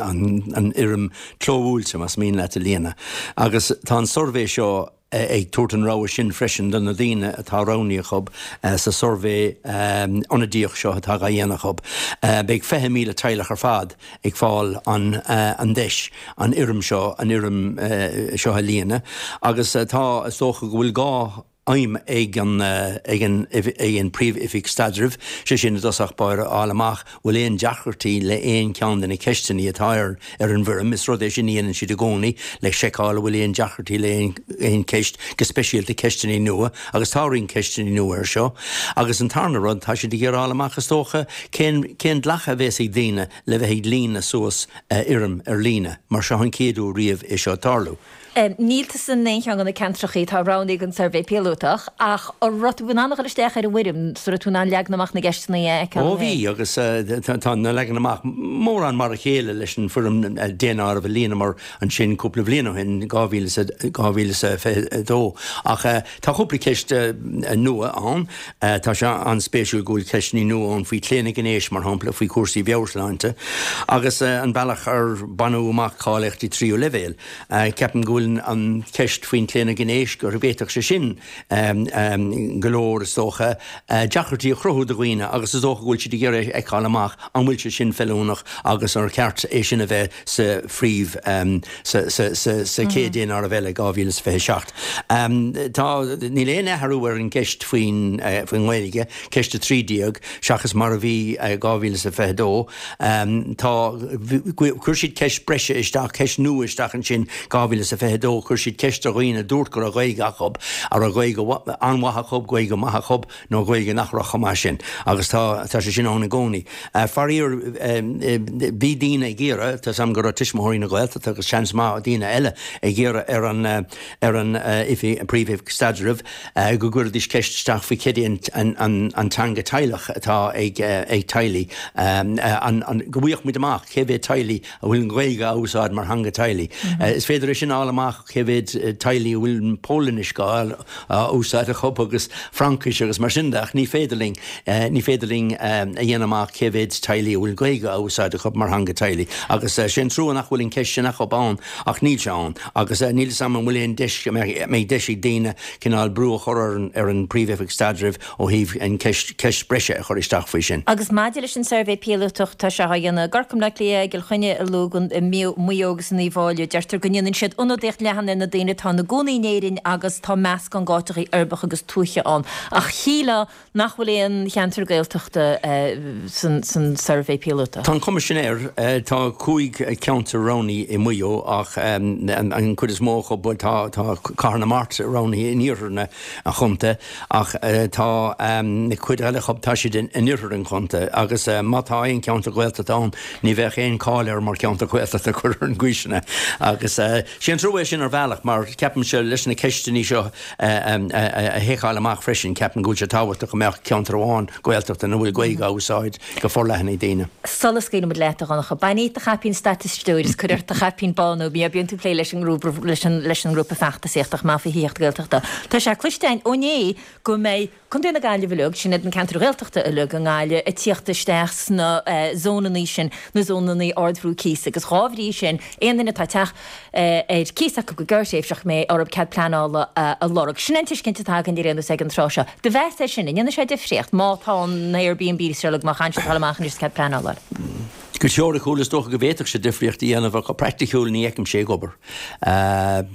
fhoirm clóbhuailte, más mian leat, a líonadh. Agus tá an suirbhé seo ag tabhairt an rogha sin freisin do na daoine atá roghnaithe acu sa suirbhé ionadaíoch seo atá dhá dhéanamh acu. Beidh 20,000 teaghlach ar fad ag fáil an deis an fhoirm seo, an fhoirm seo a líonadh agus tá, is dócha go bhfuil dhá aidhm ag an ag an ag an Príomh-Oifig Staidrimh, sé sin i dtosach báire a fháil amach bhfuil aon deacrachtaí le aon cheann de na ceisteanna atá ar ar an bhfoirm. Is rud é sin a dhéanann siad i gcónaí le seiceáil an bhfuil aon deacrachtaí le aon aon cheist, go speisialta ceisteanna nua, agus tá roinnt ceisteanna nua air seo. Agus an tarna rud, tá siad ag iarraidh a fháil amach is dócha cén cén glacadh a bhéas ag daoine le bheith ag líonadh suas fhoirm ar líne, mar seo an chéad uair riamh é seo ag tarlú. Níl tusa in aon cheann de na ceantrachaí atá roghnaithe don suirbhé píolótach, ach an raibh tú in ann a dhul isteach ar an bhfoirm, so raibh tú in ann leagan amach na gceisteanna a fheiceáil? Ó bhí, agus tá na leagan amach mórán mar a chéile leis an bhfoirm daonáirimh a líonamar ansin cúpla bhliain ó shin, 2022. Ach tá cúpla ceist nua ann. Tá sé an-spéisiúil go bhfuil ceisteanna nua ann faoi chlaonadh gnéis, mar shampla, faoi chúrsaí mheabhairshláinte agus an bealach ar baineadh amach cáilíochtaí tríú leibhéal. Ceapaim go bhfuil an cheist faoin chlaonadh gnéis, go bhféadfadh sé sin go leor, is dócha, deacrachtaí a chruthú do dhaoine agus is dócha go bhfuil siad ag iarraidh a fheiceáil amach an bhfuil sé sin feiliúnach agus ar cheart é sin a bheith sa phríomh, sa, sa, sa, sa chéad daonáireamh eile, 2027. Tá, níl aon athrú ar an gceist faoin, faoin nGaeilge, ceist 13, seachas mar a bhí 2022. Tá, chuir siad ceist breise isteach, ceist nua isteach ansin, 2022, chuir siad ceist ar dhaoine a dúirt go raibh Gaeilge acu, an raibh Gaeilge an-mhaith acu, Gaeilge maith acu, nó Gaeilge nach raibh chomh maith sin. Agus tá, tá sé sin ann i gcónaí. Faraor, bhí daoine ag iarraidh, tá 's agam go raibh Tuismitheoirí na Gaeltachta agus seans maith daoine eile ag iarraidh ar an, ar an oifig, Príomh-Oifig Staidrimh, go gcuirfidís ceist isteach faoi cad é an, an, an teanga teaghlach atá ag, ag teaghlaigh, an, an, go bhfaigheadh muid amach cé mhéad teaghlaigh a bhfuil an Ghaeilge á úsáid mar theanga teaghlaigh. Is féidir é sin a fháil amach cé mhéad teaghlaigh a bhfuil Polainnis á úsáid acu agus Fraincis agus mar sin de ach ní féidir linn, ní féidir linn a dhéanamh amach cé mhéad teaghlaigh a bhfuil Gaeilge á úsáid acu mar theanga teaghlaigh. Agus sé an trua nach bhfuil an ceist sin acu ann ach níl sé ann agus níl 'fhios a'm an bhfuil aon deis, an mbeidh deis ag daoine cineál brú a chur ar an Príomh-Oifig Staidrimh ó thaobh an ceist, ceist breise a chur isteach faoi sin. Agus maidir leis an suirbhé píolótach, tá sé á dhéanamh i gCorcaigh, i mBleá Cliath, i gCill Chainnigh, i Lúgan, i Maigh Eo agus in Uíbh Fháilí. Deirtear go ndéanann siad ionadaíocht leathan ar na daoine atá ina gcónaí in Éirinn agus tá meascán d'áiteachaí uirbeacha agus tuaithe ann. Ach shílfeá nach bhfuil aon cheantar Gaeltachta san suirbhé píolótach. Tá an chuma sin air. Tá 5 cheantar roghnaithe i Maigh Eo ach an chuid is mó acu, bhuel tá Cathair na Mart roghnaithe in iarthar na an chontae ach tá na cuid eile acu, tá siad in oirthear an chontae agus má tá aon cheantar Gaeltachta ann, ní bheadh aon cáil air mar cheantar Gaeltachta cuir ar an gcaoi sin é. Agus sé an trua é sin ar bhealach mar ceapaimse leis na ceisteanna seo a sheiceáil amach freisin, ceapaim go bhfuil sé tábhachtach go mbeadh ceantar amháin Gaeltachta ina bhfuil Gaeilge á úsáid go forleathan ag daoine. Sula scaoilimid leat, a Dhonncha, bain díot do chaipín staitisteoir is cuir ort do chaipín bán nó bíonn tú ag plé leis an ngrúpa leis an leis an ngrúpa feachtasaíochta chomh maith faoi thithíocht Gaeltachta. Tá sé cloiste againn ó inné go mbeidh Contae na Gaillimhe uilig, sin iad na ceantair Ghaeltachta uilig i nGaillimh, ag tíocht isteach sna zónannaí sin, na zónannaí ardbhrú cíosa agus dhá bhrí sin aon duine atá teach ar cíos acu go gearrthréimhseach go mbeidh orthu cead pleanála a lorg. Sin an tuiscint atá againn ar aon nós ag an tráth seo. Do mheas é sin, an ndéanfaidh sé difríocht má tá na Airbnbs seo uilig, má chaitheann siad a dhul amach anois is cead pleanála a fháil? Go teoiriciúil is dócha go bhféadfadh sé difríocht a dhéanamh ach go praiticiúil ní fheicimse ag obair.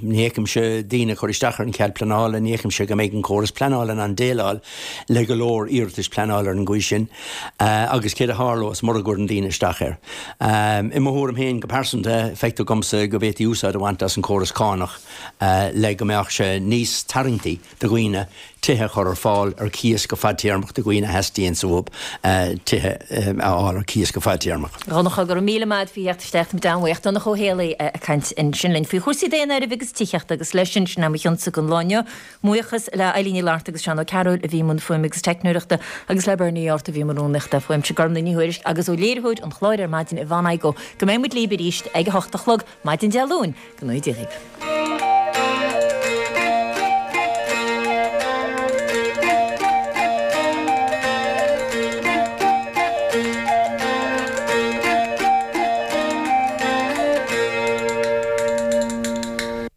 Ní fheicimse daoine ag cur isteach ar an chead pleanála, ní fheicimse go mbeidh an córas pleanála in ann déileáil le go leor iarratais pleanála ar an gcaoi sin agus céard a tharlós mura gcuireann daoine isteach air. I mo thuairim féin go pearsanta, feictear dhomsa go bhféadfaí úsáid a bhaint as an chóras cánach le go mbeadh sé níos tarraingtí do dhaoine. tithe a chur ar fáil ar cíos go fadtéarmach do dhaoine a theastaíonns uathu tithe a fháil ar cíos go fadtéarmach. A Dhonncha, go raibh míle maith agat faoi theacht isteach, táimid an-bhuíoch. Donncha Ó Héalaí ag caint ansin linn faoi chúrsaí daonáirimh agus tithíochta agus leis sin, sin é mo chionsa don lá inniu. Buíochas le Eilín Ní Fhlatharta agus Seán Ó Cearúil a bhí i mbun fuaime agus teicneoireachta agus le Bernie Art a bhí i mbun rúnaíochta. Uaimse Gormlaith Ní Thuairisg agus ó léiritheoir an chláir ar maidin Yvonne Igoe. Go mbeidh muid libh arís ag a hocht a chlog maidin Dé Luain. Go ngnóthaí Dia dhaoibh.